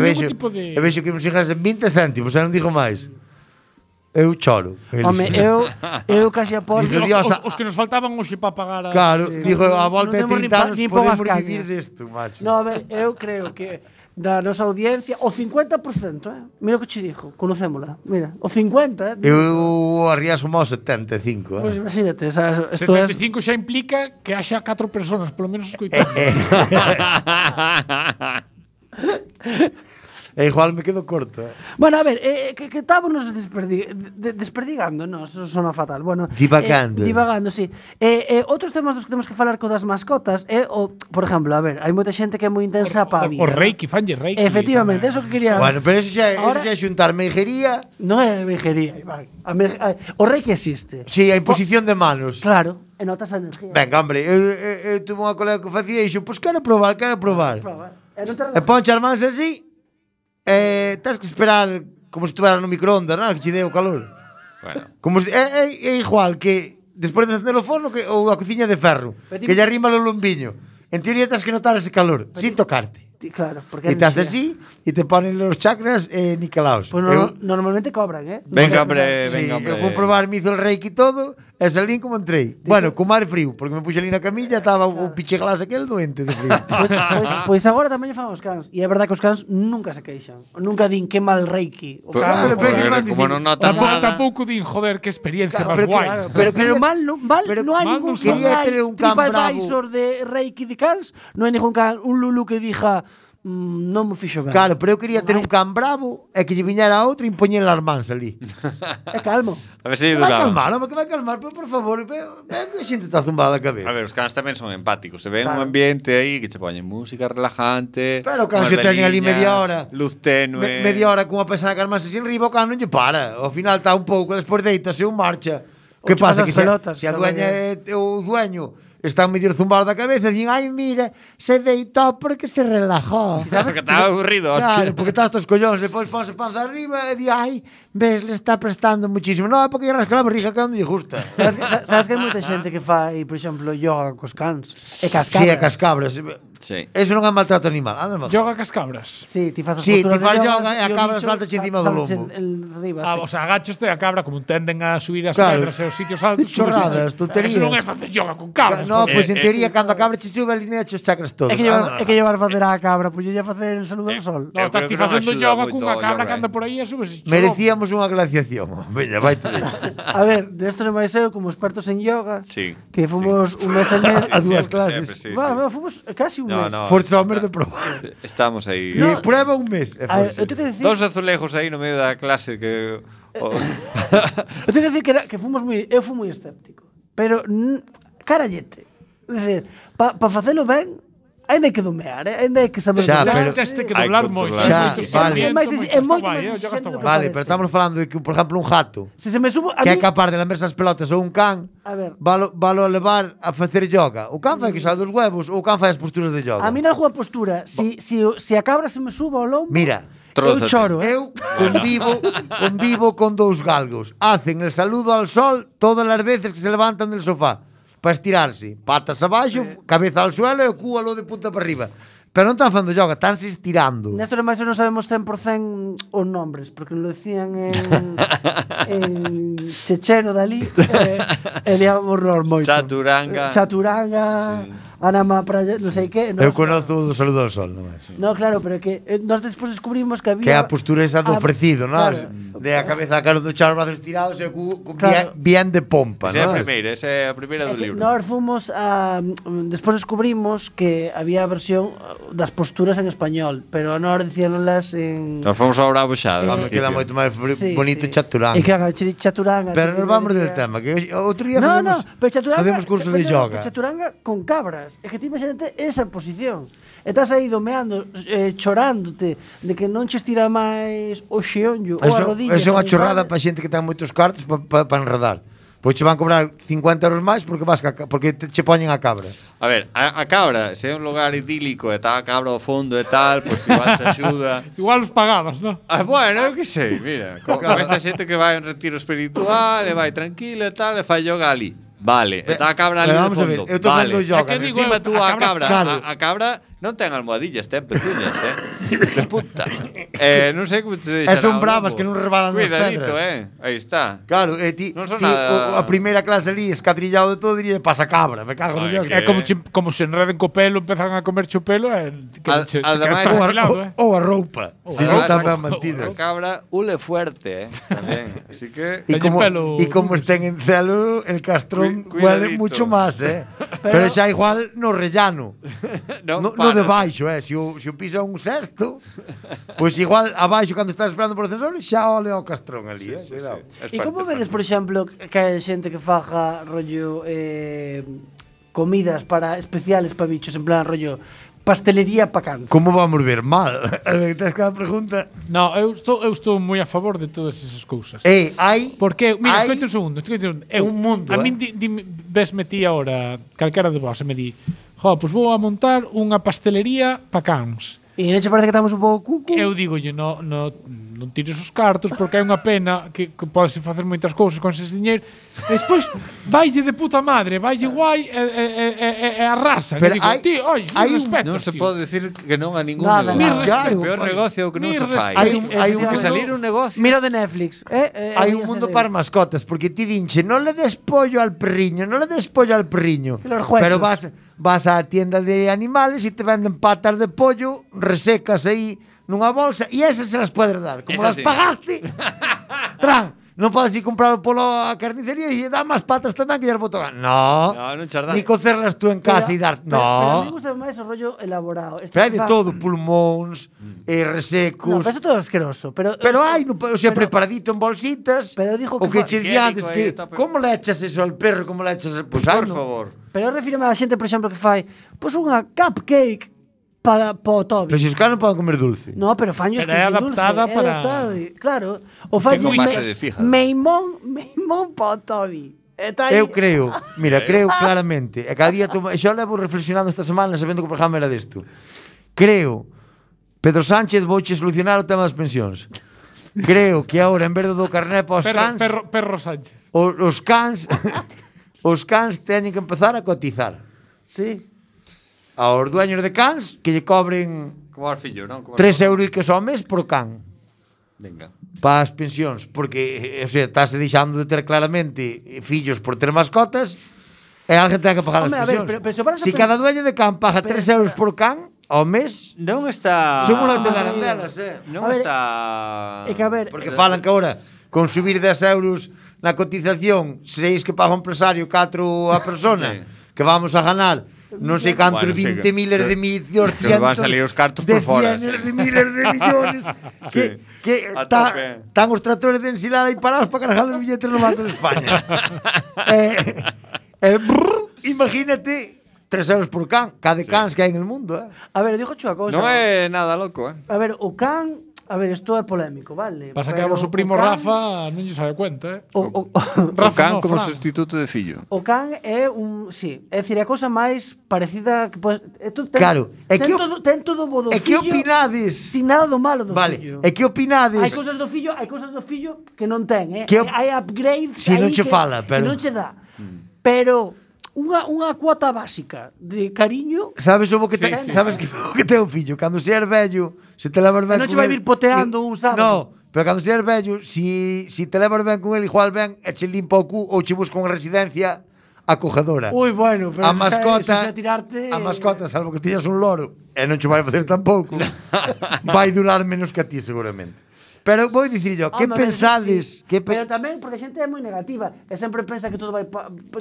vexo que me xegas en 20 céntimos, non digo máis. Eu choro. Home, eu casi aposto. Digo, Dios, Os que nos faltaban hoxe para pagar a... Claro, digo, a non volta de temos 30 anos nin podemos poucas vivir cañas. desto, macho. No, a ver, eu creo que da nosa audiencia o 50%, mira o que che dixo, conocémola. Mira, o 50, Eu arriasgo máis 75, Pois imagínate, sabes, isto é 75 xa implica que haxa 4 personas, polo menos escoitando. E igual me quedo corto, Bueno, a ver, que estábamos desperdigando, no, eso sona fatal. Bueno, Divagando. Divagando, sí. Outros temas dos que temos que falar co das mascotas é o, por exemplo, a ver, hai moita xente que é moi intensa para a vida. O Reiki, fanlle Reiki. Efectivamente, eso que quería. Bueno, pero eso xa Ahora- é xuntar meijería. Non é vejería, Iván. O Reiki existe. Si, a imposición de manos. Claro, e notas a energía. Venga, hombre, eu tuve unha colega que o facía e dixo, pois quero probar. Prova. E non te E relajas. ponche as mans así, tens que esperar como se estuvera no microondas, non? Que che dé o calor. Bueno. Como se, é igual que despois de encender o forno que, ou a cociña de ferro, Pero que lle arrima o lombiño. En teoría tens que notar ese calor, sin tocarte. Claro, porque E te haces así, e te ponen los chakras nicalaos. Pues normalmente cobran, Venga, hombre, Sí, venga, hombre. eu fui probar, me hizo el reiki e todo, e salín como entrei. Bueno, con mar frío, porque me puxe ali na camilla, estaba o picheglas aquel doente de frío. Pois agora tamén fan os cans. E é verdad que os cans nunca se queixan. Nunca din que mal Reiki. O Pues, can, pero que van como dicindo- non notan nada. Tampouco din, joder, que experiencia Claro, máis pero guai. que- pero quería- mal non hai mal ningún non quería hai ter un can bravo. TripAdvisor de Reiki de cans, non hai ningún can, un Lulu que dija non me fixo ben. Claro, pero eu quería ter un can bravo e que lle viñera outro e impoñer as mans ali. É calmo. A ver se Vai duraba. calmar, home, que vai calmar, pero por favor, ven que a xente está zumbada a cabeza. A ver, os cans tamén son empáticos. Se ven Claro. un ambiente aí que che poñen música relajante. Pero o can unhas se teñen ali veliñas, media hora. Luz tenue. Media hora cunha pesada que as mans así en riba, o can non lle para. Ao final está un pouco, despois deitase ou marcha. O que chupas pasa as que pelotas, se a sabe dueña é o dueño está medio zumbado da cabeza, din, ai, mira, se deitou porque se relajou. Porque estaba aburrido, Claro, hostia. porque estás estos collóns, depois ponse panza arriba e di, ai, ves, le está prestando muchísimo. Non, é porque lle rasca a barriga que onde lle gusta. Sabes que hai moita xente que fai, por exemplo, yoga cos cans. E cascabras. Si, é cas cabras. Sí. Eso non é maltrato animal. Anda, mal. Yoga cas cabras. Sí, ti fas as Sí, posturas ti fas de yoga e a o cabra bicho salta encima do saltas lombo. Arriba, Ah, sí. o sea, agachoste a cabra como tenden a subir as Claro. pedras e os sitios altos. Chorradas, tonterías. Eso non é facer yoga con cabras. No, joder. pois en teoría cando a cabra che sube ali necho os chakras todos. É que llevar facer a cabra, pois yo ia facer el saludo ao sol. No, Eu estás creo ti que non facendo axuda yoga moito cunha o cabra yoga, que anda por aí e subes. Merecíamos unha glaciación. Veña, vai te. A ver, de esto non máis eu como expertos en yoga, Sí. que fomos un mes e mes A dúas Sempre, clases. sempre, sí, Va, sí. fomos casi un No, mes. no. Forza ao mes de probar. Estamos aí. E prueba un mes. A ver, eu tengo que decir, Dos azulejos aí no medio da clase que... eu tengo que decir que fomos eu fui moi escéptico, pero carallete. É dicir, pa facelo ben, ainda hai que domear, ainda hai que saber Xa, domear. pero- Teste que Hai doblar que moito. controlar. moito Xa, vale. sentimiento, É máis exi- é está moito guai, máis yoga está exigente do guai. que Vale, pero estamos falando de que, por exemplo, un jato Se se me subo a que é mí, capaz de lamerse as pelotas ou un can, a ver, valo a levar a facer yoga. O can fai que sal dos huevos ou o can fai as posturas de yoga. a mí na algunha postura, se a cabra se me suba ao lombo, Mira, eu Trózate. choro, eu convivo con dous galgos. Hacen el saludo al sol todas as veces que se levantan del sofá para estirarse. Patas abaixo, cabeza al suelo e o cu alo de punta para arriba. Pero non están facendo yoga, están se estirando. Néstor e máis non sabemos 100% os nombres, porque nos lo decían en checheno dali, e liamos moito. Chaturanga. Chaturanga, Anama para non sei que. Eu conozo o do saludo ao sol, non é? No, claro, pero que nós despois descubrimos que había... Que é a postura esa do ofrecido, non? Claro. De a cabeza a cara do char, os brazos tirados e Claro. bien de pompa, Esa non? é a primeira do libro. Nós fomos a... Despois descubrimos que había a versión das posturas en español, pero nós dicíanlas en... Nos fomos ao Bravo xa. Me queda moito máis bonito chaturanga. E que haga chaturanga. Pero nos vamos del tema, que outro día facemos cursos de yoga. Chaturanga con cabras. É que ti imagínate esa posición. E estás aí domeando, chorándote de que non che estira máis o xeonllo ou a rodilla. Eso é unha chorrada para xente que ten moitos cartos para enredar. Pois che van cobrar 50 euros máis porque che poñen a cabra. A ver, a cabra, se é un lugar idílico e está a cabra ao fondo e tal, pois igual te axuda. Igual os pagabas, non? Bueno, eu que sei, mira, con esta xente que vai a un retiro espiritual e vai tranquilo e tal, e fai yoga ali. Vale, está a cabra ali no fondo. Eu estou facendo yoga. Encima tú a cabra, claro. a cabra non ten almohadillas, ten pezuñas, de puta. Non sei como te deixará. Son bravas que non rebalan nas pedras. Cuidadito, aí está. Claro, ti a primeira clase ali escatrillado de todo diría pasa cabra, me cago en Dios. É como se enreden co pelo, empezan a comerche o pelo e ou a roupa. Se non está ben mantida. A cabra ule fuerte, tamén. Así que e como estén en celo, el castrón huele mucho más, Pero xa igual no rellano. No de baixo, se o pisa un sexto, pois igual abaixo cando estás esperando por ascensor xa ole ao castrón ali, cuidado. E como vedes, por exemplo, que hai xente que faja rollo comidas para especiales para bichos, en plan rollo pastelería para cans? Como vamos ver mal? Tens cada pregunta? No, eu estou moi a favor de todas esas cousas. Hai porque, mira, escoite un segundo. Un mundo, a min ves metí agora calquera de vos e me di pois vou a montar unha pastelería para cans. E non che parece que estamos un pouco cucu? Eu digolle, non tires os cartos porque é unha pena que podes facer moitas cousas con ese diñeiro. E despois vaille de puta madre, vaille guai e arrasa. Pero hai respeto. Non se pode decir que non a ningún negocio. O peor negocio que non se fai. Hai un que salir un negocio. Mira de Netflix. Hai un mundo para mascotas, porque ti dinche, non le des pollo al perriño, pero vas á tienda de animales e te venden patas de pollo resecas aí nunha bolsa e esas se las podes dar. Como las pagaste, non podes ir comprar polo a carnicería e dá máis patas tamén que ya boto. No, non chardar. Ni cocerlas tú en casa e dar. Pero a mí gusta máis o rollo elaborado. Pero hai de todo, pulmóns, resecos. No, pero eso todo asqueroso. Pero hai, o sea, preparadito en bolsitas. Pero dijo o que che día antes que como le echas eso al perro, como le echas pues por favor. Pero refírame a xente, por exemplo, que fai unha cupcake para o Toby. Pero se os caras non poden comer dulce. No, pero faños que é adaptada dulce, para... Claro, o faños meimón para o Toby. Eu creo claramente, e cada día xa levo reflexionando esta semana sabendo que o programa era desto. Creo Pedro Sánchez vouche solucionar o tema das pensións. Creo que agora en vez do carné para os cans Perro Sánchez. Os cans teñen que empezar a cotizar. Sí. Aos dueños de cans que lle cobren como al fillo, non? 3 euros ao mes por can. Venga. Para as pensións, porque, o sea, estás deixando de ter claramente fillos por ter mascotas e alguén ten que pagar as pensións. Se cada dueño de can paga 3 euros por can ao mes, non está... Son unha te darán delas, Non está... É que a ver... Porque falan que agora, con subir 10 euros na cotización, 6 que paga o empresario, 4 a persona, que vamos a ganar non sei cantos 20 miles de millones, que van salir os cartos por fora, de miles de millones que están os tractores de ensilada aí parados para cargar os billetes no Banco de España. Imagínate 3 euros por can, cada cans que hai en el mundo. A ver, dixo unha cousa. Non é nada loco, A ver, o can... A ver, isto é polémico, vale? Pasa que a vos o primo Rafa non lle sabe cuenta, Rafa can como sustituto de fillo. O can é un... Sí, é dicir, é a cousa máis parecida que claro, ten todo bo do fillo. E que opinades? Sin nada do malo do fillo. E que opinades? Hai cousas do fillo que non ten, hai upgrades si non che fala, pero non che dá. Pero unha cuota básica de cariño. Sabes o que sabes que ten o fillo, cando se er vello, se te levas ben. Non che vai vir poteando un sábado. No, pero cando se er vello, si te levas ben con el, igual ben e che limpa o cu ou che busca unha residencia acogedora. Ui, bueno, pero A mascota, eso xa tirarte... a mascota, salvo que tiñas un loro, e non che vai facer tampouco, vai durar menos que a ti seguramente. Pero vou dicir yo, que Home, pensades? sí. Pero tamén porque a xente é moi negativa e sempre pensa que todo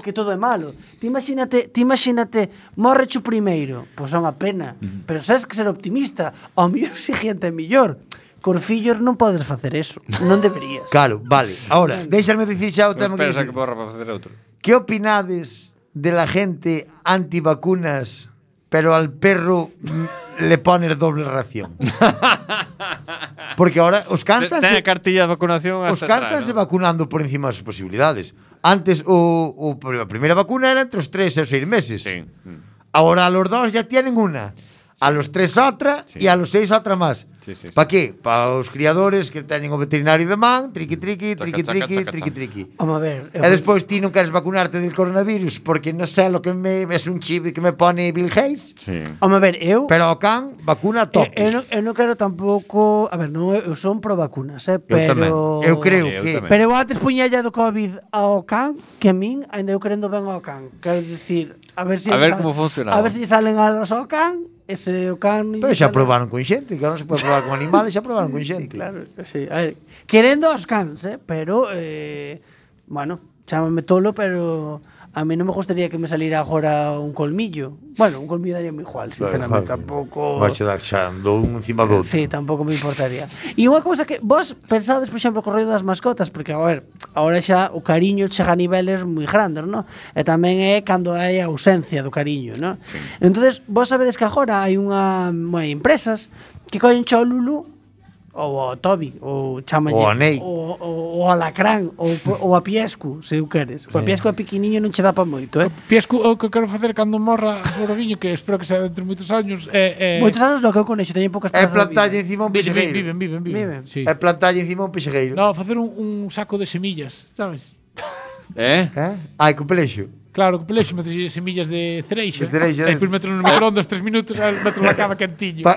que todo é malo. Ti imagínate, morreche o primeiro, pois é unha pena. Pero sabes que ser optimista, ao mellor si xente é mellor. Cor fillos non podes facer eso, non deberías. Claro, vale. Ahora, deixarme dicir xa o tema Pensa que que borra para facer outro. ¿Qué opinades de la gente antivacunas, pero al perro le pones doble ración? Porque ahora os cantas Ten a cartilla de vacunación os hasta cantas atrás, ¿no? vacunando por encima das súas posibilidades. Antes a primeira vacuna era entre os 3 e os 6 meses. Sí. Ahora a los 2 ya tienen una. A los 3 otra y a los 6 otra más. Sí, sí, ¿Para qué? Para os criadores que teñen o veterinario de man, triqui, Chaca, chaca, chaca, triqui. Vamos a ver. E despois ti non queres vacunarte del coronavirus porque non sei lo que es un chip que me pone Bill Gates. Sí. Vamos a ver, eu... Pero o can vacuna top. Eu non quero tampouco... A ver, non, eu son pro vacunas, pero... tamén. Eu creo Eu que tamén. Pero eu antes puñalle do COVID ao can que a min, ainda eu querendo ben ao can. Quero dicir, a ver se... A ver como funcionaba. A ver se salen alas ao can, ese o can... Pero xa probaron con xente, que non se pode probar con animales, xa probaron con Sí, xente. claro, sí. A ver, querendo aos cans, pero... bueno, chámame tolo, pero... A mí non me gustaría que me saliera agora un colmillo. Bueno, un colmillo daría moi igual, sinceramente, tampouco... Vache dar xa andou un encima do outro. Sí, tampouco me importaría. E unha cousa que vos pensades, por exemplo, co rollo das mascotas, porque, a ver, agora xa o cariño chega a niveles moi grandes, non? E tamén é cando hai a ausencia do cariño, non? Sí. Entonces, vos sabedes que agora hai hai empresas que collen cho Lulu ou a Toby, ou chamalle Ou a Ney. ou a Lacrán, ou a Piescu, se eu queres. O a Piescu é pequeniño non che dá pa moito, Piescu, o que quero facer cando morra o Roguiño, que espero que sea dentro de moitos años, Moitos anos lo que eu conexo, teñen poucas É esperanza de plantalle vida. encima un viven, pexegueiro. viven. Sí. É plantalle encima un pexegueiro. No, facer un saco de semillas, sabes? Ai, con pelexo. Claro, que pelexo, metes semillas de cereixa. De cereixa, E depois meto no microondas 3 minutos e meto na cama quentiño. Pa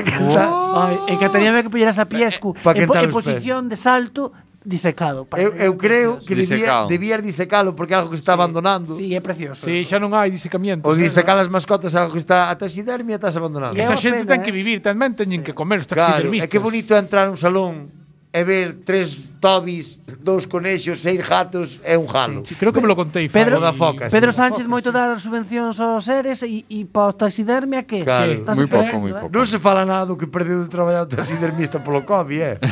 cantar. Ai, e que teníame que pillar esa Piescu Pa quentar en os posición de salto disecado. Eu creo que Disecado. debías disecalo porque é algo que se está abandonando. Sí, é precioso. Sí, xa non hai disecamientos. O disecar as mascotas é algo que está a taxidermia estás abandonando. É Esa unha xente pena, ten que vivir, tamén teñen que comer os Claro, é taxidermistas. que bonito é entrar a un salón e ver 3 tobis, 2 conexos, 6 gatos e un jalo. Sí, creo que me lo contei. Pedro, O da foca, sí. Pedro Sánchez moito dar subvencións aos seres e pa o taxidermia que? Claro. Estás Moi pouco, esperando, moi pouco. Non se fala nada do que perdeu de traballar o taxidermista polo COVID,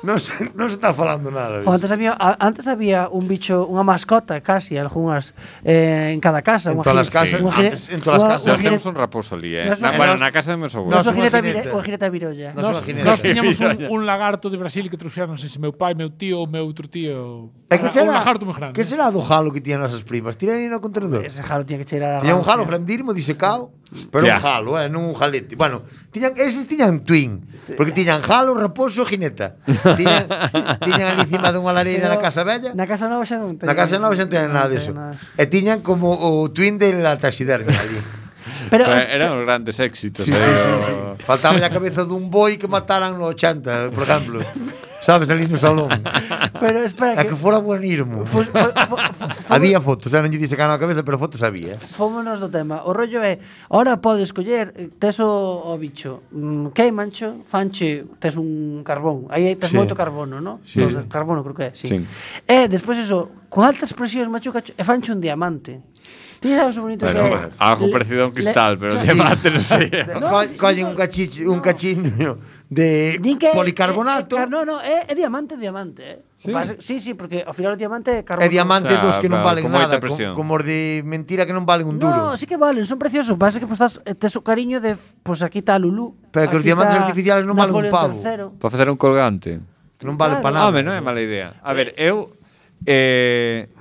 non se está falando nada O disso. antes había un bicho, unha mascota casi, algunhas en cada casa, En unha todas as gire- casas, unha gire- antes, en todas as unha- casas. Nós unha temos gire- un raposo ali, Nos- Bueno, na casa de meus Nos- abuelos. Noso unha gireta jineta. unha gireta virolla. Nos- Nos, unha jineta. nos tiñamos Virolla. un lagarto de Brasil que trouxeron, non sei se meu pai, meu tío ou meu outro tío. É que Un será, lagarto moi grande. que será do jalo que tiñan nosas primas? Tiran aí no contenedor. Ese jalo tiña que cheirar a Tiñan un rancia. jalo grandísimo, disecado, pero Hostia. un jalo, non un jalete. Bueno, eses tiñan twin, porque tiñan jalo, raposo, jineta. Tiñan ali encima dunha lareira Pero na casa vella. Na casa nova xa non ten. Na casa nova xa non tiñan nada ten diso. nada. E tiñan como o twin de la taxidermia ali. Pero Eran os grandes éxitos. aí, Faltaba a cabeza dun boi que mataran no 80, por exemplo. Sabes, ali no salón. pero espera É que fora buenirmo. Había fotos, non lle disecaron a cabeza, pero fotos había. Fómonos do tema. O rollo é, ahora podes coller, tes o bicho, queimancho, fanche, tes un carbón. Aí tes Sí. moito carbono, ¿no? Sí. Carbono creo que é, sí. Sí. E despois eso, con altas presións machuca e fanche un diamante. Ti sabes o bonito que é? Bueno, algo parecido a un cristal, pero claro. diamante non sei. Collen un cachinho de Din que policarbonato. No, é diamante, Sí. Sí, porque ao final o diamante é carbono. E diamante O sea, dos que non pero valen con moita nada, presión. como os de mentira que non valen un duro. No, sí que valen, son preciosos. Pasa que pues, tes o cariño de, pues aquí está Lulú. Pero que os aquí diamantes está artificiales non valen un Napoleón pavo. III. Para facer un colgante. Non valen Claro. para nada. Home, non é mala idea. A ver, eu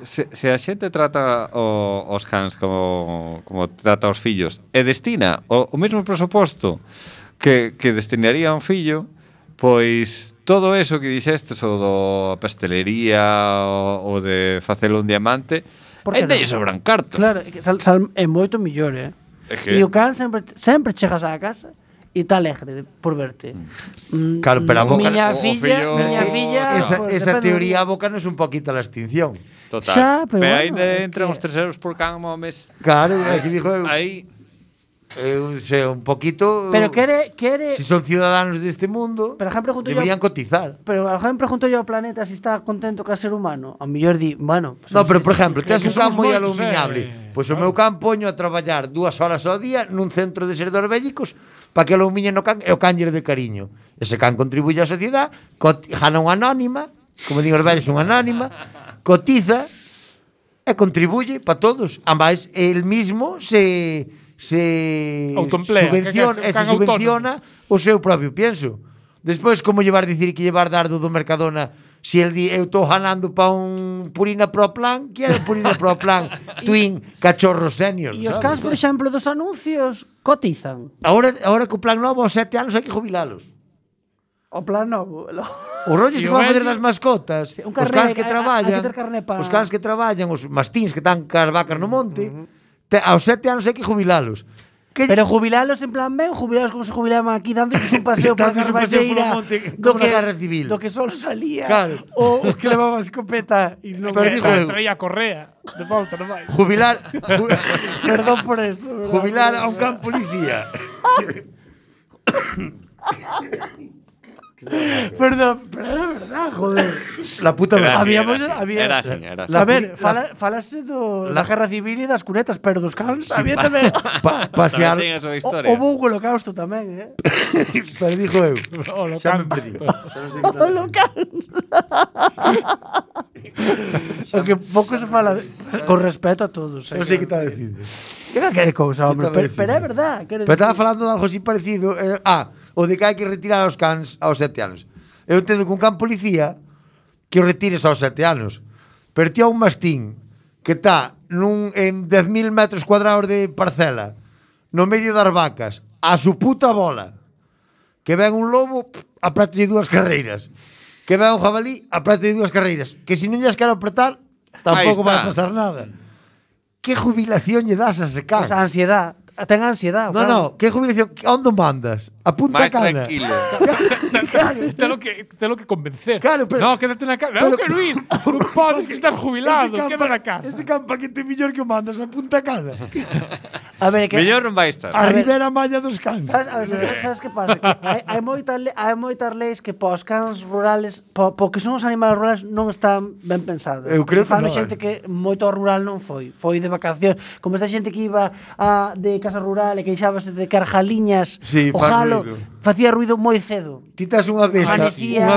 se a xente trata os cans como trata os fillos e destina o mesmo presuposto que destinaría a un fillo, pois todo eso que dixestes o do pastelería o de facelo un diamante, Por que ainda non? lle sobran cartos. Claro, é que é moito millor, É que- E o can sempre chegas á casa e está alegre por verte. Claro, pero a boca- miña o filla, fillo- miña filla, Esa teoría abócanos un poquito a la extinción. Total. Xa, pero bueno, ainda é entran que- os 3 euros por can ao mes. Claro, aquí dijo eu. Aí Sei, un poquito. Pero quere Si son ciudadanos deste mundo, Pero, ejemplo, pregunto deberían cotizar. Pero a gente pregunto yo ao planeta si está contento co ser humano. A mellor di, bueno, pues, No, pero por sí, exemplo, tes un que can somos moi moitos, alumiñable. Pois o meu can poño a traballar 2 horas ao día nun centro de servidores bélicos para que alumiñen o can e o canller de cariño. Ese can contribuye á sociedade, gana unha anónima, como digo os vellos, unha anónima, cotiza e contribuye para todos. Ademais, el mismo se Autoemplea, subvenciona, que é se can subvenciona o seu propio pienso. Despois, como llevar dicir que llevar dardo do Mercadona si el di, eu estou ganando pa un Purina Pro Plan, que era Purina Pro Plan Twin Cachorro Senior, E os cans, por exemplo, dos anuncios cotizan. Ahora que o plan novo aos 7 anos hai que jubilalos. O plan novo. Os rollos E que o van a facer vello- das mascotas, un os carné, cans que hai traballan, que ter carné pa- os cans que traballan, os mastíns que están cas vacas no monte, aos 7 anos hai que jubilalos. Que Pero jubilalos en plan ben, jubilalos como se jubilaban aquí, dándoles un paseo por a Dándoles un paseo polo Carballeira, monte, como na Guerra Civil. do que solo salía, Claro. o que levaba escopeta e non Pero digo eu, Traía correa de volta, non vai. jubilar Perdón por esto, ¿verdad? jubilar a un can policía. Perdón, pero é verdad, joder. La puta Era madre. así, había- era así, era así. A ver, la- falase da Guerra Civil e das cunetas, pero dos cans, había tamén Pasear, Tamén ten a súa historia. o houve un holocausto tamén, pero dijo eu. O lo Xa me canto. perdí. O holocausto. O que pouco se fala con respeto a todos, Non sei que está dicindo. Que cousa, hombre, estaba pero é verdad, quero Pero estaba dicir. falando de algo así parecido. O de que hai que retirar aos cans aos 7 anos. Eu entendo que un can policía que o retires aos 7 anos. Pero ti a un mastín que está en 10.000 metros cuadrados de parcela, no medio das vacas, a su puta bola, que ven un lobo, apretate 2 carreiras. Que ven un jabalí, apretate 2 carreiras. Que se non lles quero apretar, tampouco vai está. pasar nada. Que jubilación lle das a ese can? Esa ansiedad, ten ansiedad. No, no, que jubilación, onde mandas? A Punta Máis Cana. tranquilo. Te lo que convencer. Claro, pero- No, quédate na casa. Non pero- quero ir. Non podes que estás jubilado. Queda na casa. Ese campa que te millor que mandas a Punta Cana. A ver, que Mellor non vai estar. A ver. Ribera Malla dos cans. Sabes, a ver, sabes que pasa? Que hai moitas leis que pos cans rurales, porque son os animales rurales non están ben pensados. Eu creo que Fano non, xente que moito ao rural non foi de vacación, como esta xente que iba de casa rural e queixábase de carjaliñas, Sí, o faz jalo ruido. facía ruido moi cedo. Ti tes unha besta, Amanecía-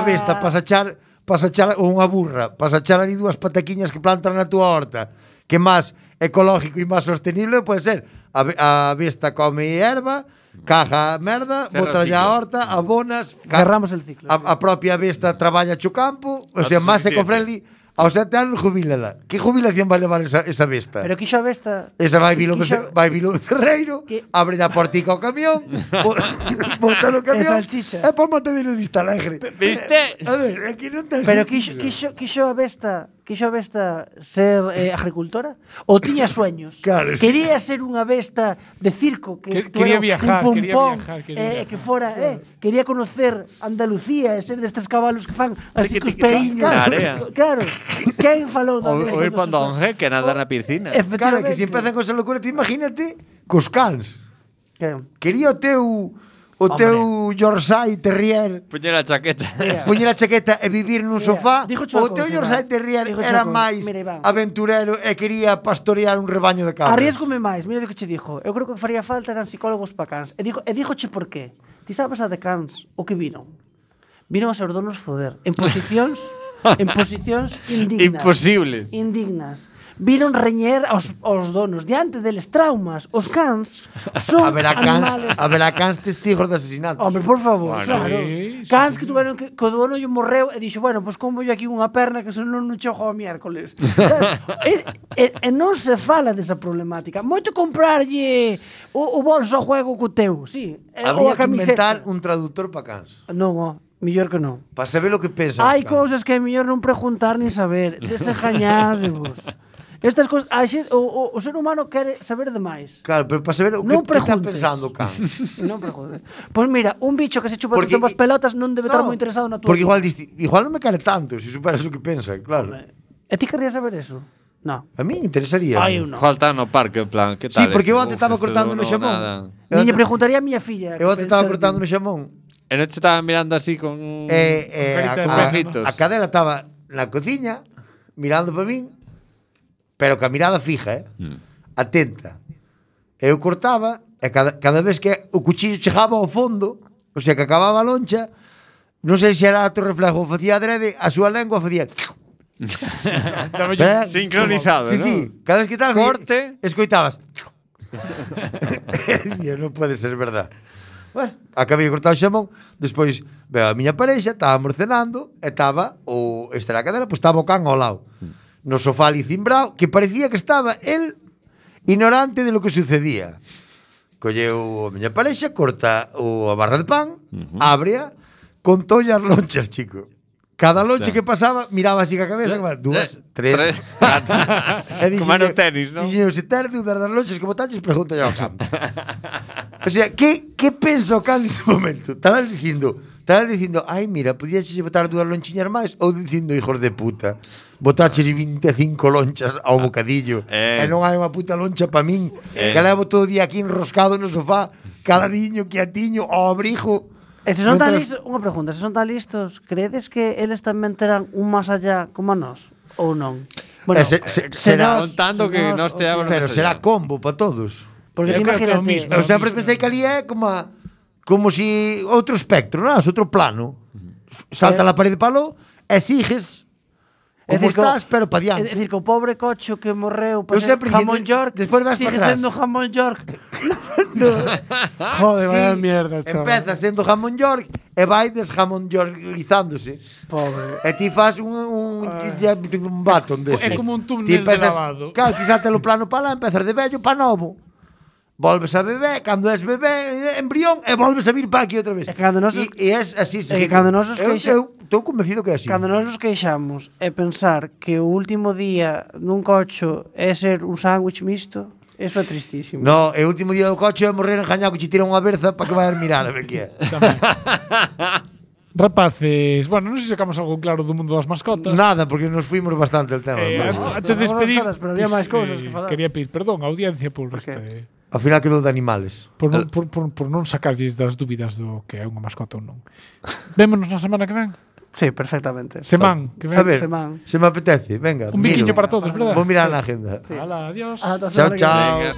para sachar ou unha burra, para sachar ali 2 pataquiñas que plantan na túa horta, que máis ecológico e máis sostenible pode ser. A besta come erva, caja merda, Cerra o bota a ciclo. horta, abonas, Cerramos el ciclo. A propia besta traballa cho campo, o sea, máis Autosuficiente. eco-friendly. Aos 7 anos jubílala. Que jubilación vai levar esa besta? Pero quixo a besta. Esa vai vilo cerreiro, Que- abre a portica ao camión, bota no camión, salchichas. e pa Matadero de Vista Alegre. Viste? A ver, aquí non ten Pero sentido. quixo a besta ser agricultora? Ou tiña sueños? Claro, sí. Quería ser unha besta de circo que Quería tuera viajar, un quería pompón, viajar, quería viajar. que fora, quería conocer Andalucía e ser destes cabalos que fan así cos Tiqui, tiqui, peiños. na area. Claro. Quen falou da O besta ir dos pa seus- Donge que nada na piscina. Claro, que se Efectivamente. empezan con esa locura, ti imagínate cos cans. Que? Quería o teu Yorkshire Terrier Puñer a chaqueta. poñer a chaqueta e vivir nun Mira, sofá, dígoche unha o teu cousa, Yorkshire Iván. Terrier Dígoche era unha cousa. máis Mira, Iván. aventurero e quería pastorear un rebaño de cabras. Arriesgome máis, mira o que che dixo. Eu creo que faría falta eran psicólogos pa cans. E dígoche por qué. Ti sabes a de cans o que viron? Viron os seus donos foder en posicións indignas. Imposibles. Indignas. Viron reñer aos donos diante deles traumas. Os cans son animales. Haberá cans testigos de asesinatos. Hombre, por favor, Bueno, claro. sí, Cans que tuveron que o dono lle morreu e dixo, bueno, pois como yo aquí unha perna que senón non chojo o miércoles. Sabes? E non se fala desa problemática. Moito comprarlle o bolso a juego co teu, sí. Ou Habría a que inventar camiseta. un traductor para cans. Non, mellor que non. Para saber o que pensa. Hai cousas que é mellor non preguntar nin saber. Desengañádevos. Estas cousas, o ser humano quere saber demais. Claro, pero para saber o que está pensando o can. Non preguntes. Pois mira, un bicho que se chupa Porque- as pelotas non debe estar moi interesado na tua. Porque igual non me quere tanto, se superas o que pensa, claro. E ti querías saber eso? No. A mí interesaría. Ai, eu non. Igual está no parque, en plan, que tal? Sí, porque eu este? antes estaba Uf, este cortando no non, xamón. nada. Niña, preguntaría a miña filla. Eu antes estaba cortando no xamón. E non te estaba mirando así con... carita de pejitos. a cadela estaba na cociña mirando para min, pero ca mirada fija, atenta. Eu cortaba e cada vez que o cuchillo chegaba ao fondo, o sea, que acababa a loncha, non sei se era acto reflejo ou facía adrede, a súa lengua facía... Sincronizado, Sí, ¿no? sí, cada vez que tal Corte. escoitabas. E non pode ser verdad. Bueno, Acabei de cortar o xamón, despois veo a miña parexa, estábamos cenando e estaba esta era a cadela, pois estaba o can ao lado. No sofá ali cimbrao, que parecía que estaba el ignorante de lo que sucedía. Colleu a miña parexa, corta a barra de pan, ábrea, contoulle as lonchas, chico. Cada lonche que pasaba, miraba así ca cabeza, dúas, tres, catro. Como era o tenis, ¿no? Dixen, se tarde das lonchas como taches, pregunta ao can. O sea, que pensa o can nese momento? Estaba dicindo, ai, mira, podíaxe botar dúas lonchiñas máis, ou dicindo, hijos de puta, botaches 25 lonchas ao bocadillo, e non hai unha puta loncha pa min, que levo todo o día aquí enroscado no sofá, caladiño, quiatiño, ao abrigo. e se son tan listos, unha pregunta, se son tan listos, credes que eles tamén terán un más allá como a nós? Ou non? Bueno, será contando que nós te abran pero más será allá. combo para todos. porque Eu ti creo que é o imagínate, mismo. Eu sempre pensei que ali é como si outro espectro, non? Outro plano. Salta a parede palo e sigues como estás, pero pa É diante. dicir, que o pobre cocho que morreu Eu para ser sempre jamón dicen, York despois vas sigue para atrás. sendo jamón York. Joder, vaya Sí, mierda, chaval. empeza sendo jamón York e vai jamón Yorkizándose. Pobre. E ti fas un baton dese. É como un túnel Ti de lavado. Claro, ti salte o plano para lá, empezas de vello para novo. Volves a bebé, cando és bebé, embrión, e volves a vir para aquí outra vez. E cando nos- E és así. que cando nos os queixa- Eu estou convencido que é así. Cando nós nos queixamos e pensar que o último día nun cocho é ser un sándwich mixto, eso é tristísimo. No, e o último día do coche é morrer enjañado que che tira unha berza para que vayas mirar a ver que é. Rapaces, bueno, non sei se sacamos algo claro do mundo das mascotas. Nada, porque nos fuimos bastante el tema. Antes de despedir, Vámonos, pero había máis cousas que falar. quería pedir perdón á audiencia por este Ao final quedou de animales. por non sacarlles das dúbidas do que é unha mascota ou non. Vémonos na semana que ven. Sí, perfectamente. Semán, que ven. Saber, semana. se me apetece, venga. Un biquiño para todos, verdad? Vou mirar na agenda. Hala, adiós. Ata a Chao, semana que chao. vén. Venga,